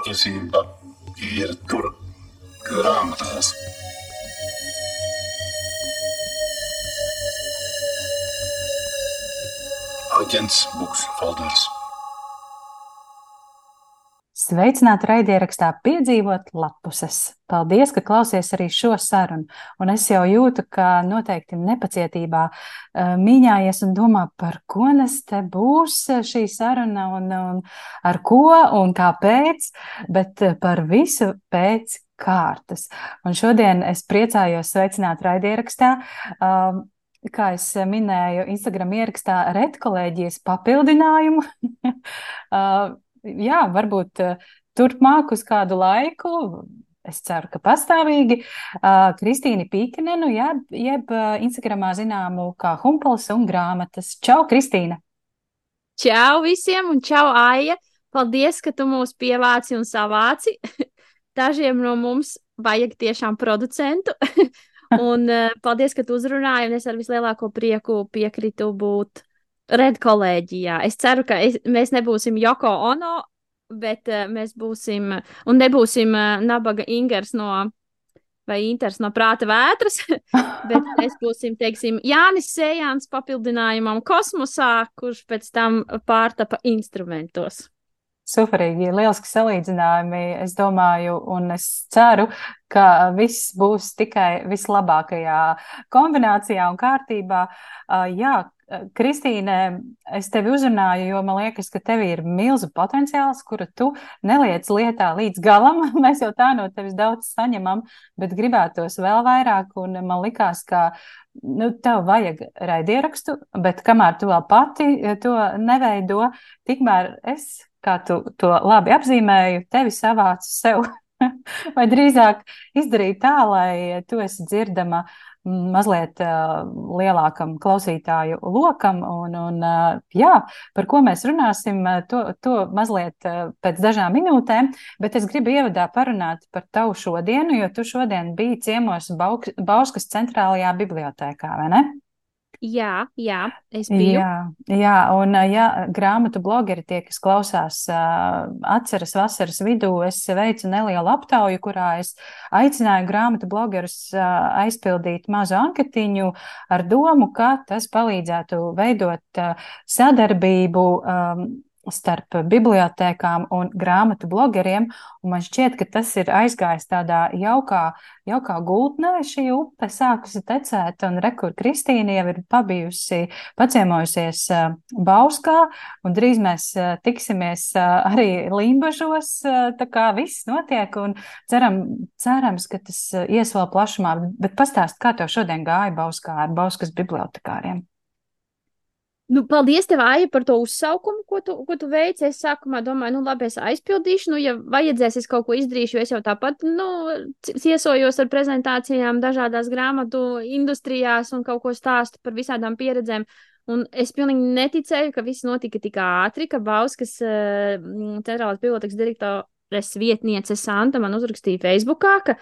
Patiesība ir tur grāmatās. Aģents Buksfolders. Sveicināti raidierakstā Piedzīvot lapuses. Paldies, ka klausies arī šo sarunu. Un es jau jūtu, ka noteikti nepacietībā mīņājies un domā, par ko nes te būs šī saruna un ar ko un kāpēc, bet par visu pēc kārtas. Un šodien es priecājos sveicināt raidierakstā, kā es minēju, Instagram ierakstā redkolēģijas papildinājumu. Jā, varbūt turpmāk uz kādu laiku, es ceru, ka pastāvīgi, Kristīni Pīkinenu, jeb Instagramā zināmu kā Humpols un grāmatas. Čau, Kristīna! Čau visiem un čau, Aija! Paldies, ka tu mūs pievāci un savāci. Dažiem no mums vajag tiešām producentu. Un paldies, ka tu uzrunāji, un es ar vislielāko prieku piekritu būt redkolēģijā. Es ceru, ka mēs nebūsim Joko Ono, bet mēs būsim, un nebūsim nabaga Ingers vai Inters no Prāta vētras, bet mēs būsim, teiksim, Jānis Sējāns papildinājumam kosmosā, kurš pēc tam pārtapa instrumentos. Superīgi, lieliski salīdzinājumi, es domāju, un es ceru, ka viss būs tikai vislabākajā kombinācijā un kārtībā. Jā, Kristīne, es tevi uzrunāju, jo man liekas, ka tev ir milzu potenciāls, kuru tu neliec lietā līdz galam. Mēs jau tā no tevis daudz saņemam, bet gribētos vēl vairāk, un man likās, ka tev vajag raidierakstu, bet kamēr tu vēl pati to neveido, tikmēr es, kā tu to labi apzīmēju, tevi savācu sev, vai drīzāk izdarīju tā, lai tu esi dzirdama mazliet lielākam klausītāju lokam, un jā, par ko mēs runāsim, to mazliet pēc dažām minūtēm, bet es gribu ievadā parunāt par tavu šodienu, jo tu šodien biji ciemos Bauskas centrālajā bibliotēkā, vai ne? Jā, es biju. Jā, un ja grāmatu blogeri tie, kas klausās, atceras vasaras vidū, es veicu nelielu aptauju, kurā es aicināju grāmatu blogerus aizpildīt mazu anketiņu ar domu, ka tas palīdzētu veidot sadarbību starp bibliotēkām un grāmatu blogeriem, un man šķiet, ka tas ir aizgājis tādā jaukā gultnē, šī upe sākusi tecēt, un rekur Kristīna jau ir paciemojusies Bauskā, un drīz mēs tiksimies arī Limbažos, tā kā viss notiek, un cerams, ka tas ies vēl plašumā, bet pastāst, kā tev šodien gāja Bauskā ar Bauskas bibliotekāriem? Paldies tev, Aija, par to uzsaukumu, ko tu veici. Es sākumā domāju, labi, es aizpildīšu, ja vajadzēs, es kaut ko izdarīšu, jo es jau tāpat, iesojos ar prezentācijām dažādās grāmatu industrijās un kaut ko stāstu par visādām pieredzēm. Un es pilnīgi neticēju, ka viss notika tik ātri, ka Bauskas centrālās bibliotekas direktores vietniece Santa man uzrakstīja Facebookā, ka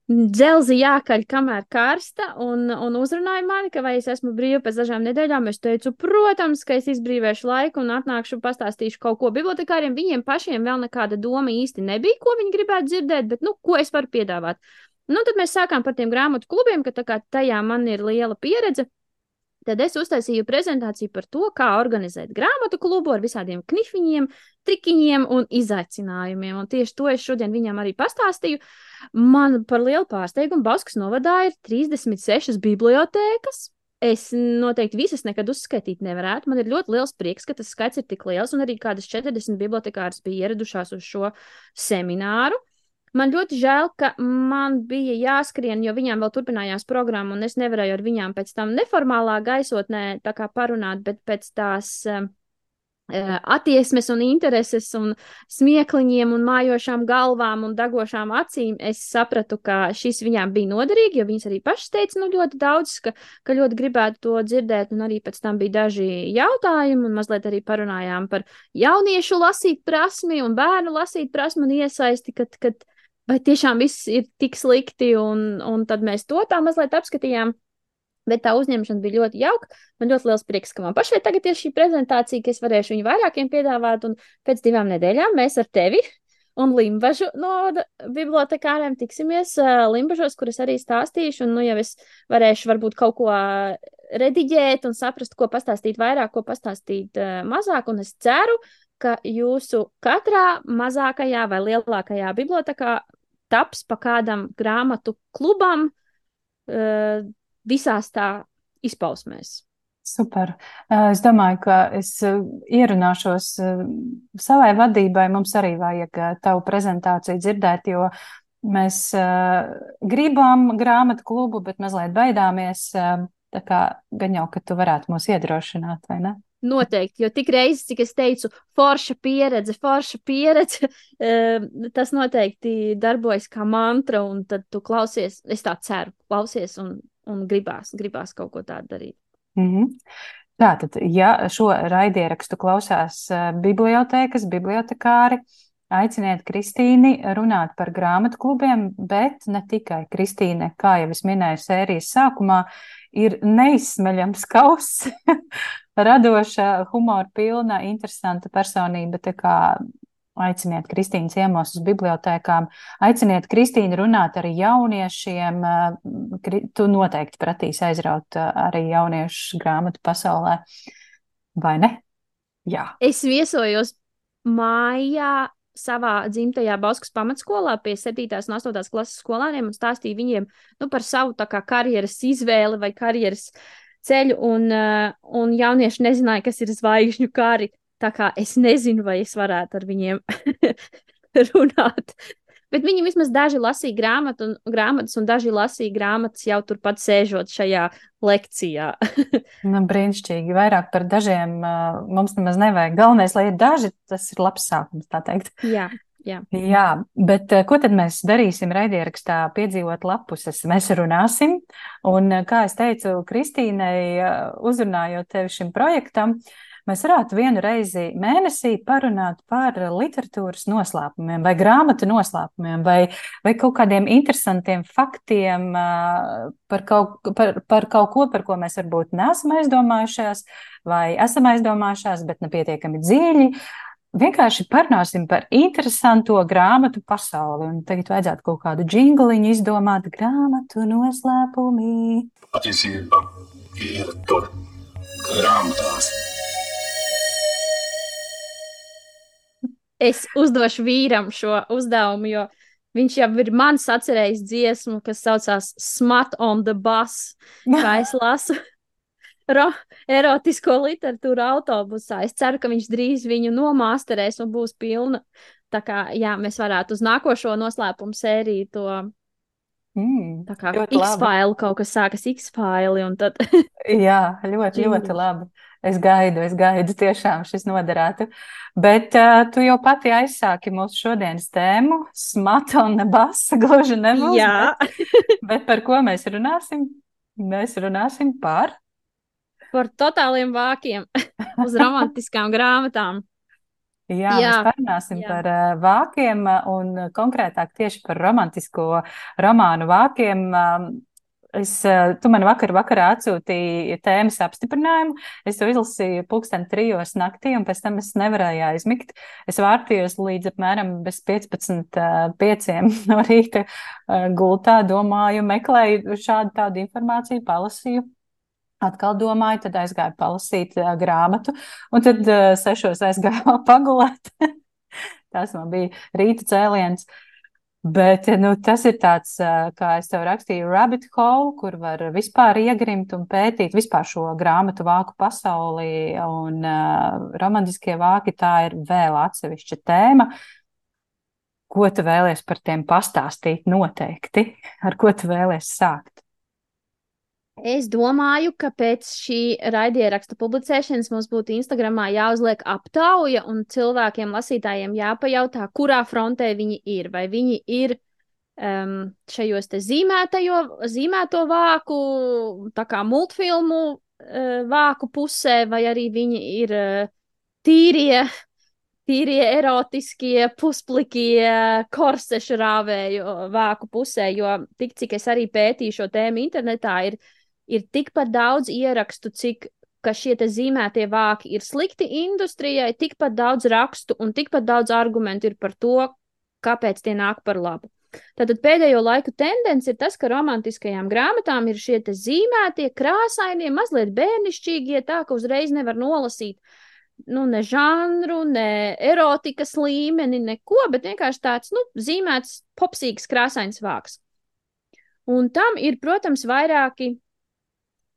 dzelzi jākaļ kamēr karsta, un uzrunāja mani, ka vai es esmu brīva pēc dažām nedēļām. Es teicu, protams, ka es izbrīvēšu laiku un atnākšu, pastāstīšu kaut ko bibliotekāriem. Viņiem pašiem vēl nekāda doma īsti nebija, ko viņi gribētu dzirdēt, bet, ko es varu piedāvāt. Tad mēs sākām par tiem grāmatu klubiem, ka tā kā tajā man ir liela pieredze. Tad es uztaisīju prezentāciju par to, kā organizēt grāmatu klubu ar visādiem knifiņiem, trikiņiem un izaicinājumiem. Un tieši to es šodien viņam arī pastāstīju. Man par lielu pārsteigumu Bauskas novadā ir 36 bibliotēkas. Es noteikti visas nekad uzskaitīt nevarētu. Man ir ļoti liels prieks, ka tas skaits ir tik liels, un arī kādas 40 bibliotekāras bija ieradušās uz šo semināru. Man ļoti žēl, ka man bija jāskrien, jo viņām vēl turpinājās programma, un es nevarēju ar viņām pēc tam neformālā gaisotnē tā kā parunāt, bet pēc tās attieksmes un intereses un smiekliņiem un mājošām galvām un dagošām acīm es sapratu, ka šis viņām bija noderīgi, jo viņas arī pašas teica, ļoti daudz, ka ļoti gribētu to dzirdēt, un arī pēc tam bija daži jautājumi, un mazliet arī parunājām par jauniešu lasīt prasmi un bērnu lasīt prasmi un iesaisti, kad vai tiešām viss ir tik slikti, un tad mēs to tā mazliet apskatījām. Bet tā uzņemšana bija ļoti jauka. Man ļoti liels prieks, ka man pašai tagad ir šī prezentācija, ka es varēšu viņu vairākiem piedāvāt, un pēc 2 nedēļām mēs ar tevi un Limbažu no bibliotekāriem tiksimies Limbažos, kur es arī stāstīšu, un nu jau es varēšu varbūt kaut ko rediģēt un saprast, ko pastāstīt vairāk, ko pastāstīt mazāk, un es ceru, ka jūsu katrā mazākajā vai lielākajā bibliotekā taps pa kādam grāmatu klubam visās tā izpausmēs. Super. Es domāju, ka es ierunāšos savai vadībai. Mums arī vajag tavu prezentāciju dzirdēt, jo mēs gribam grāmatu klubu, bet mazliet baidāmies. Tā kā gan jau, ka tu varētu mūs iedrošināt, vai ne? Noteikti, jo tik reizes, cik es teicu, forša pieredze, tas noteikti darbojas kā mantra, un tad tu klausies, es tā ceru, klausies un gribās kaut ko tādu darīt. Tātad, ja šo raidierakstu klausās bibliotēkas, bibliotekāri, aiciniet Kristīni runāt par grāmatu klubiem, bet ne tikai. Kristīne, kā jau es minēju sērijas sākumā, ir neizsmeļams kauss, radoša, humora pilna, interesanta personība, tā kā aiciniet Kristīnu ciemos uz bibliotēkām, aiciniet Kristīnu runāt ar jauniešiem, tu noteikti pratīsi aizraut arī jauniešu grāmatu pasaulē, vai ne? Jā. Es viesojos mājā savā dzimtajā Bauskas pamatskolā pie 7. un 8. klases skolāniem un stāstīju viņiem par savu tā kā karjeras izvēli vai karjeras ceļu, un jaunieši nezināja, kas ir zvaigžņu kari. Tā kā es nezinu, vai es varētu ar viņiem runāt. Bet viņi vismaz daži lasīja grāmatas, un daži lasīja grāmatas jau turpat sēžot šajā lekcijā. Brīnišķīgi. Vairāk par dažiem mums nemaz nevajag. Galvenais, lai ir daži, tas ir labs sākums, tā teikt. Jā. Jā, bet ko tad mēs darīsim raidierakstā piedzīvot lapuses? Mēs runāsim, un kā es teicu Kristīnei, uzrunājot tevi šim projektam, mēs varētu vienu reizi mēnesī parunāt par literatūras noslēpumiem vai grāmatu noslēpumiem vai kaut kādiem interesantiem faktiem par kaut ko, par ko mēs varbūt neesam aizdomājušās vai esam aizdomājušās, bet nepietiekami dziļi. Vienkārši parunāsim par interesanto grāmatu pasauli. Un tagad vajadzētu kaut kādu džingliņu izdomāt, grāmatu noslēpumi. Patiesība ir tur grāmatās. Es uzdošu vīram šo uzdevumu, jo viņš jau ir mans atcerējis dziesmu, kas saucās Smut on the Bus, kā es lasu erotisko literatūru autobusā. Es ceru, ka viņš drīz viņu nomāsterēs un būs pilna. Tā kā, jā, mēs varētu uz nākošo noslēpumu sēriju to tā kā X-file, kaut kas sākas X-file un tad... Jā, ļoti labi. Es gaidu, tiešām šis noderētu. Bet tu jau pati aizsāki mūsu šodienas tēmu, Smut on the Bus, gluži nebūs. Jā. Bet par ko mēs runāsim? Mēs runāsim par totāliem vākiem uz romantiskām grāmatām. Jā, mēs parunāsim par vākiem un konkrētāk tieši par romantisko romānu vākiem. Tu man vakarā atsūtīji tēmas apstiprinājumu. Es to izlasīju 3:00 naktī, un pēc tam es nevarēju aizmigt. Es vārtījos līdz apmēram bez 15:05 no rīta gultā, domāju, meklēju šādu tādu informāciju, palasīju. Atkal domāju, tad aizgāju palasīt grāmatu, un tad 6:00 aizgāju pagulēt. Tas man bija rīta cēliens. Bet tas ir tāds, kā es tev rakstīju, rabbit hole, kur var vispār iegrimt un pētīt vispār šo grāmatu vāku pasauli, un romantiskie vāki, tā ir vēl atsevišķa tēma. Ko tu vēlies par tiem pastāstīt noteikti? Ar ko tu vēlies sākt? Es domāju, ka pēc šī raidieraksta publicēšanas mums būtu Instagramā jāuzliek aptauja un cilvēkiem, lasītājiem jāpajautā, kurā frontē viņi ir. Vai viņi ir šajos te zīmēto vāku, tā kā multfilmu vāku pusē, vai arī viņi ir tīrie erotiskie, pusplikie, korsešu rāvēju vāku pusē, jo tik, cik es arī pētīju šo tēmu internetā, ir tikpat daudz ierakstu, ka šie te zīmētie vāki ir slikti industrijai, tikpat daudz rakstu un tikpat daudz argumentu ir par to, kāpēc tie nāk par labu. Tātad pēdējo laiku tendence ir tas, ka romantiskajām grāmatām ir šie te zīmētie, krāsainie, mazliet bērnišķīgie, tā ka uzreiz nevar nolasīt ne žanru, ne erotikas līmeni, neko, bet vienkārši tāds, zīmēts popsīgs krāsains vāks. Un tam ir, protams, vairāki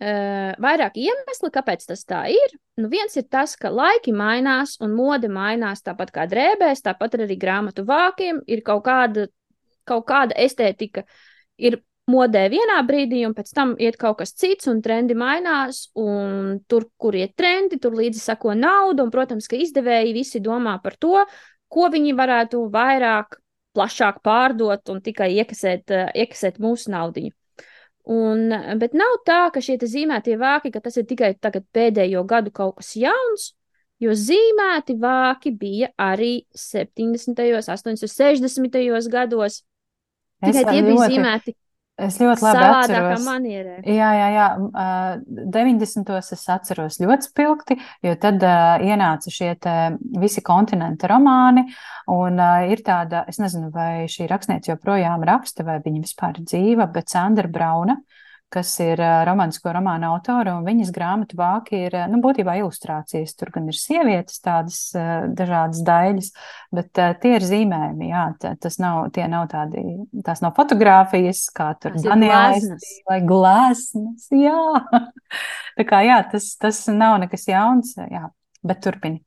iemesli, kāpēc tas tā ir. Viens ir tas, ka laiki mainās un mode mainās tāpat kā drēbēs, tāpat arī grāmatu vākiem ir kaut kāda estētika ir modē vienā brīdī, un pēc tam iet kaut kas cits, un trendi mainās, un tur, kur iet trendi, tur līdzi sako nauda, un, protams, ka izdevēji visi domā par to, ko viņi varētu vairāk, plašāk pārdot un tikai iekasēt mūsu naudiņu. Bet nav tā, ka šie zīmētie vāki, ka tas ir tikai tagad pēdējo gadu kaut kas jauns, jo zīmēti vāki bija arī 70., 80., 60. gados. Tikai tie bija zīmēti Es ļoti labi savādākā atceros. manierē. Jā. 90. es atceros ļoti spilgti, jo tad ienāca šie visi kontinenta romāni, un ir tāda, es nezinu, vai šī rakstniece joprojām raksta, vai viņa vispār ir dzīva, bet Sandra Brauna, kas ir romantisko romānu autora, un viņas grāmatu vāki ir, būtībā ilustrācijas. Tur gan ir sievietes tādas dažādas daļas, bet tie ir zīmējumi, jā. Tās nav fotogrāfijas, kā tur Danielais vai gleznas, jā. Tā kā, jā, tas nav nekas jauns, jā, bet turpini.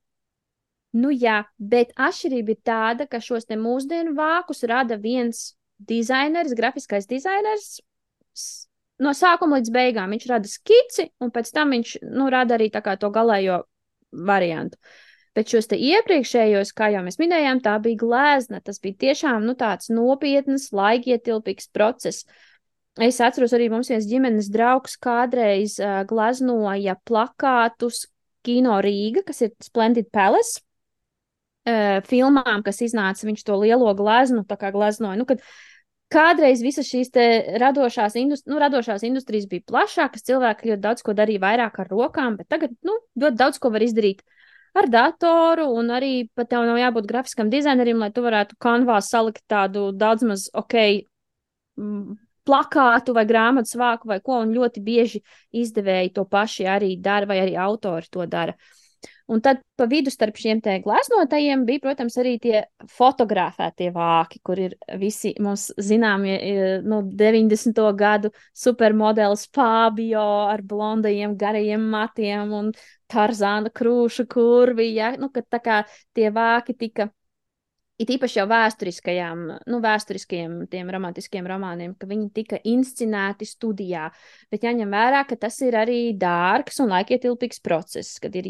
Jā, bet atšķirība ir tāda, ka šos te mūsdienu vākus rada viens dizainers, grafiskais dizainers, no sākuma līdz beigām. Viņš rada skici, un pēc tam viņš rada arī tā kā to galējo variantu. Bet šos te iepriekšējos, kā jau mēs minējām, tā bija glezna. Tas bija tiešām tāds nopietnas, laikietilpīgs process. Es atceros arī mums viens ģimenes draugs kādreiz gleznoja plakātus Kino Rīga, kas ir Splendid Palace, filmām, kas iznāca, viņš to lielo gleznu tā kā gleznoja. Kad kādreiz visas šīs te radošās industrijas bija plašākas, cilvēki ļoti daudz ko darīja vairāk ar rokām, bet tagad, ļoti daudz ko var izdarīt ar datoru, un arī pat tev nav jābūt grafiskam dizainerim, lai tu varētu Canvā salikt tādu daudz maz plakātu vai grāmatas vāku vai ko, un ļoti bieži izdevēji to paši arī dara, vai arī autori to dara. Un tad pa vidu starp šiem te gleznotajiem bija, protams, arī tie fotografētie vāki, kur ir visi mums zināmie 90. gadu supermodelis Fabio ar blondajiem garajiem matiem un Tarzāna krūšu kurvi, ja? Kad tā kā tie vāki tika, it īpaši jau vēsturiskajiem tiem romantiskiem romāniem, ka viņi tika inscinēti studijā, bet jāņem vērā, ka tas ir arī dārgs un laikietilpīgs process, kad ir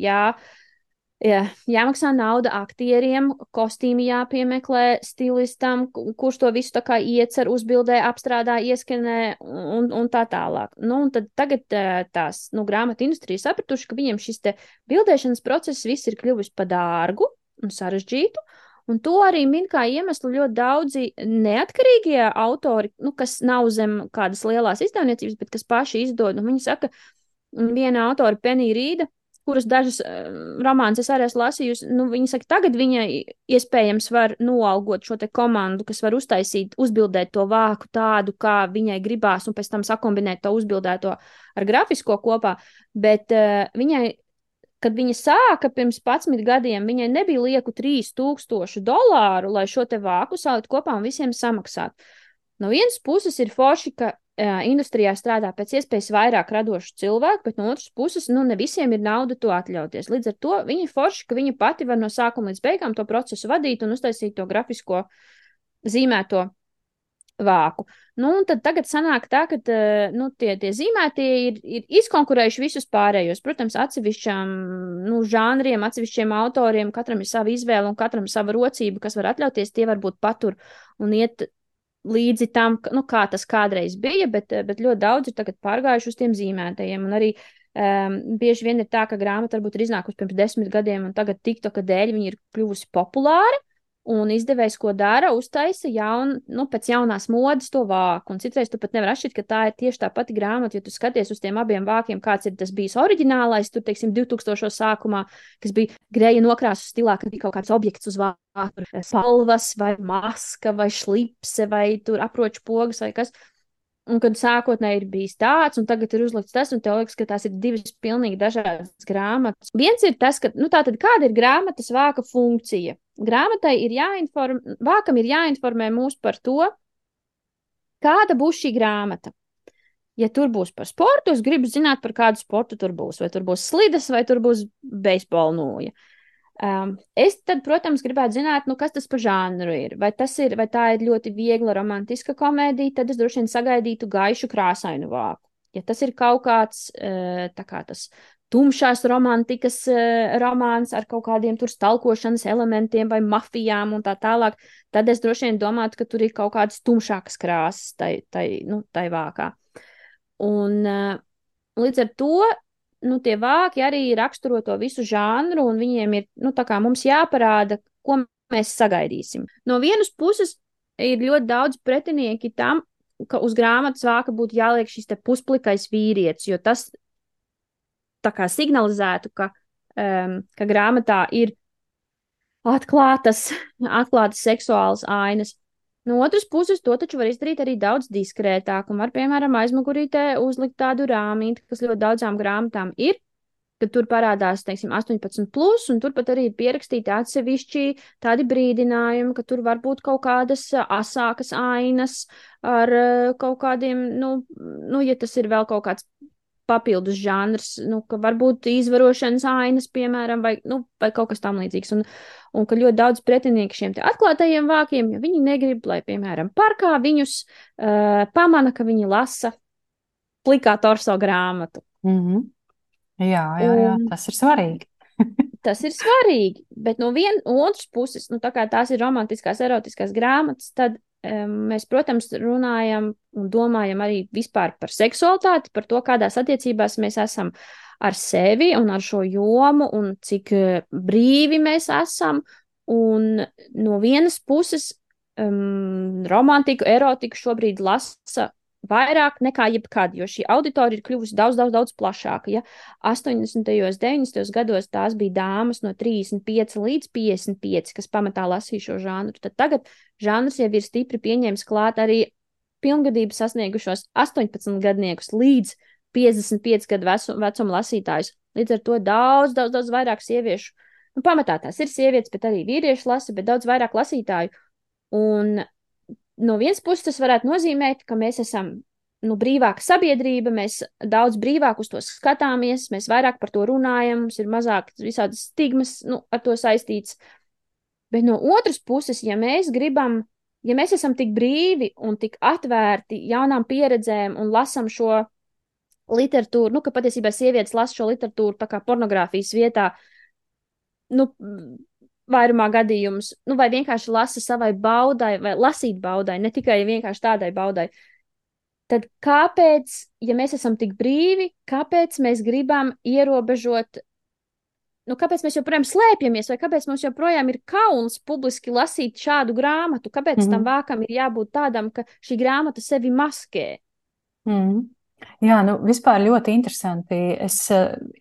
jāmaksā nauda aktieriem, kostīmi jāpiemeklē stilistam, kurš to visu tā kā iecer, uzbildē, apstrādā, ieskanē un tā tālāk. Un tad tagad tās grāmatu industrija sapratuši, ka viņiem šis te bildēšanas process viss ir kļuvis pa dārgu un sarežģītu, un to arī min kā iemeslu ļoti daudzi neatkarīgie autori, kas nav zem kādas lielās izdevniecības, bet kas paši izdod. Viņi saka, viena autora Penny Rīda, kuras dažas romānas es arī esmu lasījusi, viņa saka, tagad viņa iespējams var noalgot šo te komandu, kas var uzbildēt to vāku tādu, kā viņai gribās, un pēc tam sakombinēt to uzbildēto ar grafisko kopā, bet viņai, kad viņa sāka pirms 11 gadiem, viņai nebija lieku $3000, lai šo te vāku salikt kopā un visiem samaksāt. No vienas puses ir forši, ka industrijā strādā pēc iespējas vairāk radošu cilvēku, bet no otras puses, ne visiem ir nauda to atļauties. Līdz ar to viņa ir forši, ka viņa pati var no sākuma līdz beigām to procesu vadīt un uztaisīt to grafisko zīmēto vāku. Un tad tagad sanāk tā, ka tie zīmētie ir izkonkurējuši visus pārējos. Protams, atsevišķām žanriem, atsevišķiem autoriem, katram ir sava izvēle un katram sava rocība, kas var atļauties, tie varbūt patur un iet līdzi tam, kā tas kādreiz bija, bet ļoti daudz ir tagad pārgājuši uz tiem zīmētajiem. Un arī bieži vien ir tā, ka grāmata varbūt ir iznākusi pirms 10 gadiem, un tagad TikToka dēļ viņa ir kļuvusi populāra, Un izdevējs, ko dara, uztaisa pēc jaunās modes to vāku. Un citreiz tu pat nevar atšķirt, ka tā ir tieši tā pati grāmata, jo tu skaties uz tiem abiem vākiem, kāds ir tas bijis oriģinālais, tur, teiksim, 2000. Sākumā, kas bija Greja nokrāsu stilā, kad bija kaut kāds objekts uz vāku, spalvas vai maska vai šlipse vai tur aproču pogas vai kas. Un kad sākotnēji ir bijis tāds, un tagad ir uzlikts tas, un tev liekas, ka tās ir divas pilnīgi dažādas grāmatas. Viens ir tas, ka, tātad kāda ir grāmatas vāka funkcija? Grāmatai vākam ir jāinformē mūs par to, kāda būs šī grāmata. Ja tur būs par sportu, es gribu zināt, par kādu sportu tur būs. Vai tur būs slides, vai tur būs beisbola nūja. Es tad, protams, gribētu zināt, kas tas par žanru ir. Vai tā ir ļoti viegla romantiska komēdija, tad es droši vien sagaidītu gaišu krāsainu vāku. Ja tas ir kaut kāds tas tumšās romantikas romāns ar kaut kādiem tur stalkošanas elementiem vai mafijām un tā tālāk, tad es droši vien domātu, ka tur ir kaut kādas tumšākas krāsas tai vākā. Un līdz ar to tie vāki arī raksturo to visu žanru, un viņiem ir, tā kā mums jāparāda, ko mēs sagaidīsim. No vienas puses ir ļoti daudz pretinieki tam, ka uz grāmatas vāka būtu jāliek šis te pusplikais vīrietis, jo tas tā kā signalizētu, ka grāmatā ir atklātas seksuālas ainas. No otras puses, to taču var izdarīt arī daudz diskrētāk, un var, piemēram, aizmugurītē uzlikt tādu rāmīti, kas ļoti daudzām grāmatām ir, kad tur parādās, teiksim, 18+, un tur pat arī ir pierakstīti atsevišķi tādi brīdinājumi, ka tur var būt kaut kādas asākas ainas ar kaut kādiem, ja tas ir vēl kaut kāds papildus žanrs, ka varbūt izvarošanas ainas, piemēram, vai kaut kas tam līdzīgs. Un ka ļoti daudz pretinieku šiem te atklātajiem vākiem, jo viņi negrib, lai, piemēram, parkā viņus pamana, ka viņi lasa plikā torso grāmatu. Mm-hmm. Jā, tas ir svarīgi. Tas ir svarīgi, bet no otras puses, tā kā tās ir romantiskās, erotiskās grāmatas, tad mēs, protams, runājam un domājam arī vispār par seksualitāti, par to, kādās attiecībās mēs esam ar sevi un ar šo jomu un cik brīvi mēs esam. Un no vienas puses romantiku, erotiku šobrīd lasa vairāk nekā jebkad, jo šī auditorija ir kļuvusi daudz, daudz, daudz plašāka. Ja 80. 90. gados tās bija dāmas no 35 līdz 55, kas pamatā lasīja šo žanru, tad tagad žanrs jau ir stipri pieņēmis klāt arī pilngadību sasniegušos 18 gadniekus līdz 55 gadu vecuma lasītājus. Līdz ar to daudz, daudz, daudz vairāk sieviešu, pamatā tās ir sievietes, bet arī vīrieši lasa, bet daudz vairāk lasītāju. Un no vienas puses tas varētu nozīmēt, ka mēs esam brīvāka sabiedrība, mēs daudz brīvāk uz to skatāmies, mēs vairāk par to runājam, mums ir mazāk visādas stigmas ar to saistīts. Bet no otras puses, ja mēs esam tik brīvi un tik atvērti jaunām pieredzēm un lasam šo literatūru, ka patiesībā sievietes lasa šo literatūru tā kā pornogrāfijas vietā, vairumā gadījumus, vai vienkārši lasa savai baudai, vai lasīt baudai, ne tikai vienkārši tādai baudai. Tad kāpēc, ja mēs esam tik brīvi, kāpēc mēs gribam ierobežot, kāpēc mēs joprojām slēpjamies, vai kāpēc mums joprojām ir kauns publiski lasīt šādu grāmatu, kāpēc tam vākam ir jābūt tādam, ka šī grāmata sevi maskē? Jā, vispār ļoti interesanti. Es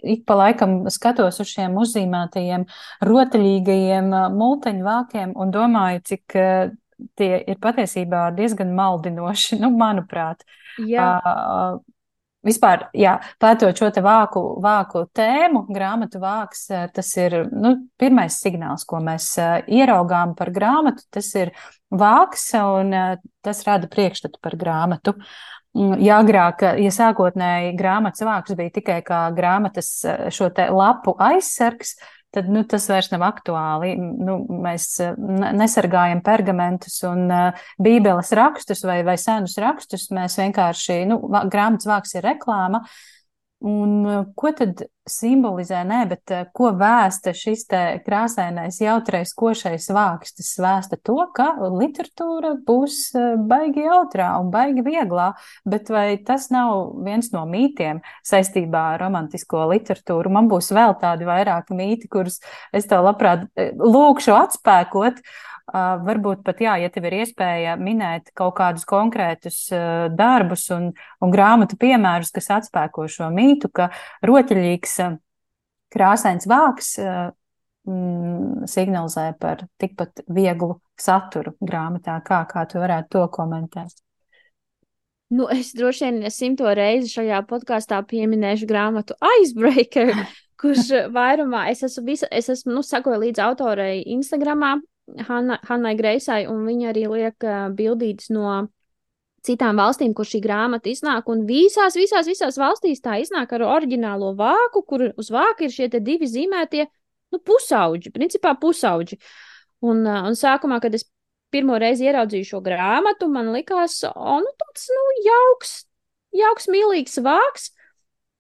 ik pa laikam skatos uz šiem uzzīmētajiem rotaļīgajiem multeņu vākiem un domāju, cik tie ir patiesībā diezgan maldinoši, manuprāt. Jā. Vispār, pētot šo te vāku tēmu, grāmatu vāks, tas ir pirmais signāls, ko mēs ieraugām par grāmatu, tas ir vāks un tas rada priekšstatu par grāmatu. Ja agrāk, ja sākotnēji grāmatas vāks bija tikai kā grāmatas šo te lapu aizsargs, tad tas vairs nav aktuāli. Mēs nesargājam pergamentus un bībeles rakstus vai senus rakstus, mēs vienkārši, grāmatas vāks ir reklāma. Un ko tad simbolizē, bet ko vēsta šis te krāsainais, jautrais, košais vāks? Tas vēsta to, ka literatūra būs baigi jautrā un baigi vieglā, bet vai tas nav viens no mītiem saistībā ar romantisko literatūru? Man būs vēl tādi vairāki mīti, kurus es tev labprāt lūkšu atspēkot. Varbūt pat, jā, ja tev ir iespēja minēt kaut kādus konkrētus darbus un grāmatu piemērus, kas atspēko šo mītu, ka rotaļīgs krāsains vāks signalizē par tikpat vieglu saturu grāmatā. Kā tu varētu to komentēt? Nu, es droši vien 100. reizi šajā podkāstā pieminēšu grāmatu Icebreaker, kurš vairumā es esmu sakoju līdz autorei Instagramā, Hannai Greisai, un viņa arī liek bildītas no citām valstīm, kur šī grāmata iznāk, un visās valstīs tā iznāk ar oriģinālo vāku, kur uz vāka ir šie te divi zīmētie, pusauģi, principā pusauģi. Un sākumā, kad es pirmo reizi ieraudzīju šo grāmatu, man likās, tāds, jauks, mīlīgs vāks.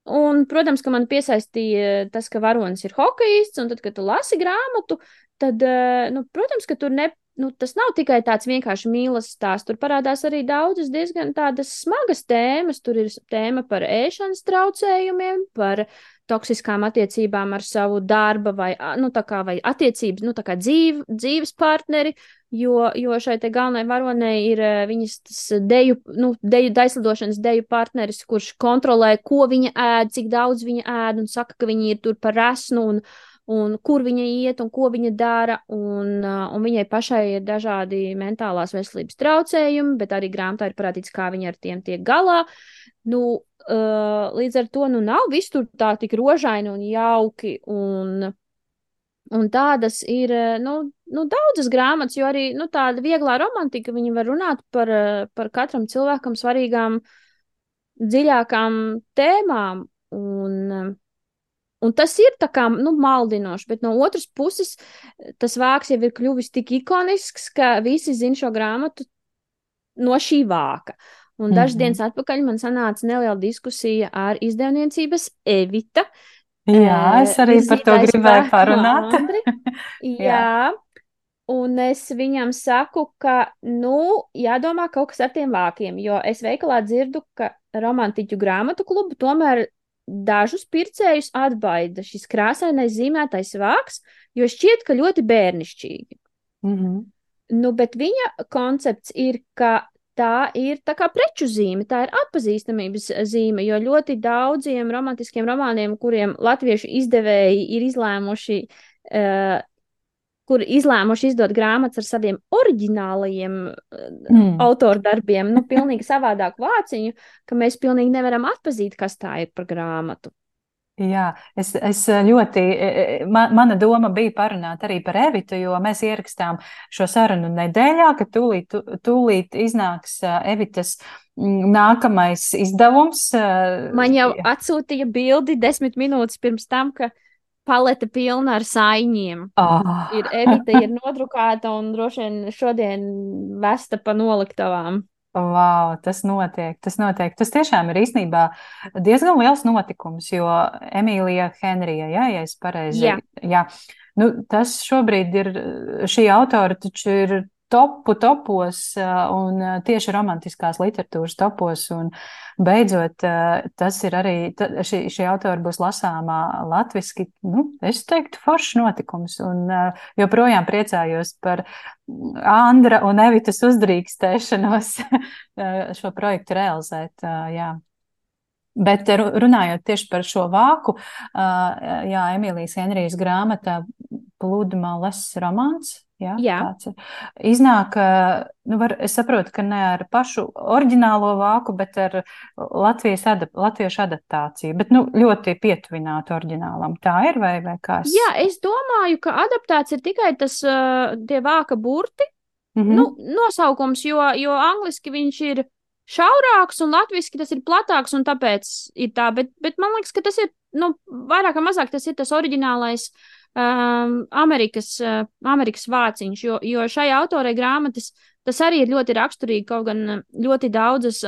Un, protams, ka man piesaistīja tas, ka varonis ir hokejists, un tad, kad tu lasi grāmatu, tad, protams, ka tur tas nav tikai tāds vienkārši mīlas stāsts. Tur parādās arī daudzas diezgan tādas smagas tēmas. Tur ir tēma par ēšanas traucējumiem, par toksiskām attiecībām ar savu darba vai attiecības, tā kā dzīves partneri, jo šai te galvenai varonei ir viņas daislidošanas deju partneris, kurš kontrolē, ko viņa ēd, cik daudz viņa ēd, un saka, ka viņa ir tur par resnu, un kur viņa iet, un ko viņa dara, un viņai pašai ir dažādi mentālās veselības traucējumi, bet arī grāmatā ir parādīts, kā viņa ar tiem tiek galā. Līdz ar to nav viss tur tā tik rožaini un jauki, un tādas ir daudzas grāmatas, jo arī tāda vieglā romantika, viņa var runāt par katram cilvēkam svarīgām, dziļākām tēmām, un tas ir tā kā maldinoši, bet no otras puses tas vāks jau ir kļuvis tik ikonisks, ka visi zina šo grāmatu no šī vāka. Un dažas dienas atpakaļ man sanāca neliela diskusija ar izdevniecības Evita. Jā, es arī par to gribēju parunāt. Jā, un es viņam saku, ka, jādomā kaut kas ar tiem vākiem, jo es veikalā dzirdu, ka romantiķu grāmatu klubu tomēr dažus pircējus atbaida šis krāsainais zīmētais vāks, jo šķiet, ka ļoti bērnišķīgi. Bet viņa koncepts ir, ka tā ir tā kā preču zīme, tā ir atpazīstamības zīme, jo ļoti daudziem romantiskiem romāniem, kuriem latviešu izdevēji ir izlēmuši izdot grāmatas ar saviem oriģinālajiem autordarbiem, pilnīgi savādāku vāciņu, ka mēs pilnīgi nevaram atpazīt, kas tā ir par grāmatu. Jā, es ļoti, mana doma bija parunāt arī par Evitu, jo mēs ierakstām šo sarunu nedēļā, ka tūlīt iznāks Evitas nākamais izdevums. Man jau atsūtīja bildi 10 minūtes pirms tam, ka palete pilna ar saiņiem. Evita ir nodrukāta un droši vien šodien vesta pa noliktavām. Wow, tas notiek. Tas tiešām ir īstenībā diezgan liels notikums, jo Emīlija Henrija, ja es pareizi. Jā. Tas šobrīd ir, šī autora taču ir topos un tieši romantiskās literatūras topos, un beidzot tas ir arī, šī autora būs lasāmā latviski, es teiktu, foršs notikums, un joprojām priecājos par Andra un Evitas uzdrīkstēšanos šo projektu realizēt, jā. Bet runājot tieši par šo vāku, Emīlijas Henrijas grāmata Pludmales romāns, jā. Tāds iznāk, es saprotu, ka ne ar pašu oriģinālo vāku, bet ar latviešu adaptāciju, bet ļoti pietuvinātu oriģinālam. Tā ir vai kā? Jā, es domāju, ka adaptāts ir tikai tie vāka burti, nosaukums, jo angliski viņš ir šaurāks un latviski tas ir platāks un tāpēc ir tā, bet man liekas, ka tas ir, vairāk vai mazāk tas ir tas oriģinālais Amerikas vāciņš, jo šai autorei grāmatas tas arī ir ļoti raksturīgi, kaut gan ļoti daudzas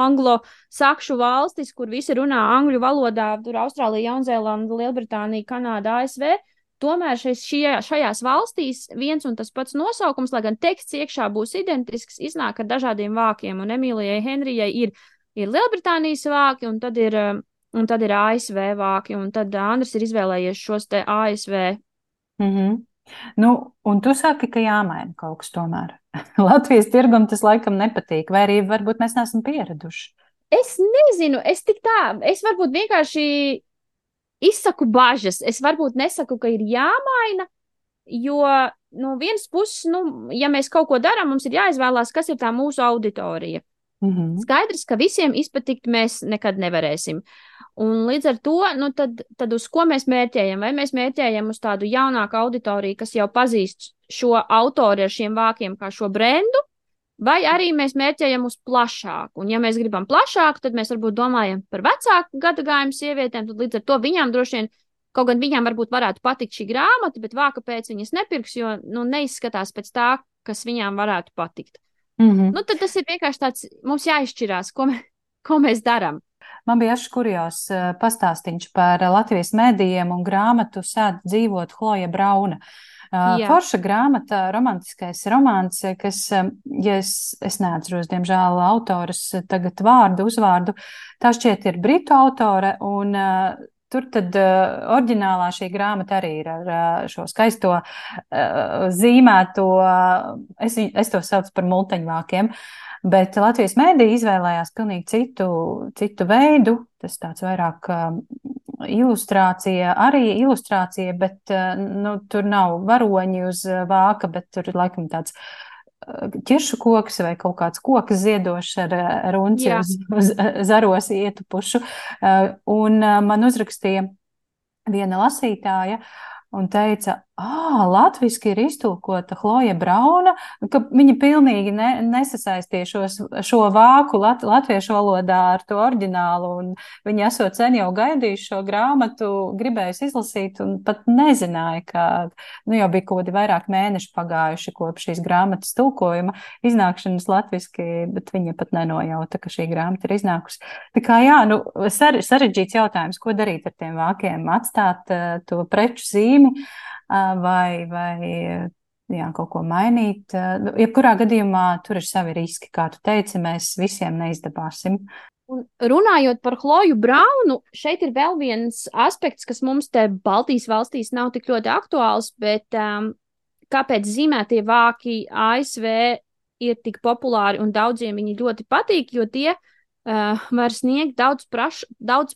anglo-sakšu valstis, kur visi runā angļu valodā, tur Austrālija, Jaunzēlanda, Lielbritānija, Kanāda, ASV, tomēr šajās valstīs viens un tas pats nosaukums, lai gan teksts iekšā būs identisks, iznāk ar dažādiem vākiem, un Emīlijai Henrijai ir Lielbritānijas vāki, un tad ir ASV vāki, un tad Andris ir izvēlējies šos te ASV. Nu, un tu saki, ka jāmaina kaut kas tomēr. Latvijas tirgum tas laikam nepatīk, vai arī varbūt mēs neesam pieraduši. Es nezinu, es varbūt vienkārši izsaku bažas. Es varbūt nesaku, ka ir jāmaina, jo no vienas puses, ja mēs kaut ko darām, mums ir jāizvēlās, kas ir tā mūsu auditorija. Skaidrs, ka visiem izpatikt mēs nekad nevarēsim. Un līdz ar to, tad uz ko mēs mērķējam? Vai mēs mērķējam uz tādu jaunāku auditoriju, kas jau pazīst šo autoru ar šiem vākiem kā šo brendu, vai arī mēs mērķējam uz plašāku? Un ja mēs gribam plašāku, tad mēs varbūt domājam par vecāku gadagājumu sievietēm, tad līdz ar to viņām droši vien, kaut gan viņām varbūt varētu patikt šī grāmata, bet vāka pēc viņas nepirks, jo neizskatās pēc tā, kas viņām varētu patikt. Tad tas ir vienkārši tāds, mums jāizšķirās, ko mēs darām. Man bija až kurjās pastāstīņš par Latvijas medijiem un grāmatu Sēd dzīvot Chloja Brauna. Forša grāmata, romantiskais romāns, kas, ja es neatceros, diemžēl, autoras tagad uzvārdu, tā šķiet ir britu autore, un tur tad oriģinālā šī grāmata arī ir ar šo skaisto zīmēto, es to saucu par multeņvākiem, bet Latvijas mēdī izvēlējās pilnīgi citu veidu, tas tāds vairāk ilustrācija, bet tur nav varoņi uz vāka, bet tur ir laikam tāds ķiršu koks vai kaut kāds koks ziedošs ar unci uz zaros ietupušu. Un man uzrakstīja viena lasītāja un teica, latviski ir iztulkota Chloja Brauna, ka viņa pilnīgi nesasaistīja šo vāku latviešu valodā ar to oriģinālu, un viņa esot sen jau gaidījuši šo grāmatu, gribējusi izlasīt, un pat nezināja, ka jau bija kaut kādi vairāk mēneši pagājuši kopš šīs grāmatas tulkojuma iznākšanas latviski, bet viņa pat nenojauta, ka šī grāmata ir iznākusi. Tā kā sarežģīts jautājums, ko darīt ar tiem vākiem, atstāt to preču zīmi, vai kaut ko mainīt. Jebkurā gadījumā tur ir savi riski, kā tu teici, mēs visiem neizdabāsim. Un runājot par Chloju Braunu, šeit ir vēl viens aspekts, kas mums te Baltijas valstīs nav tik ļoti aktuāls, bet kāpēc zīmētie vāki ASV ir tik populāri un daudziem viņi ļoti patīk, jo tie var sniegt daudz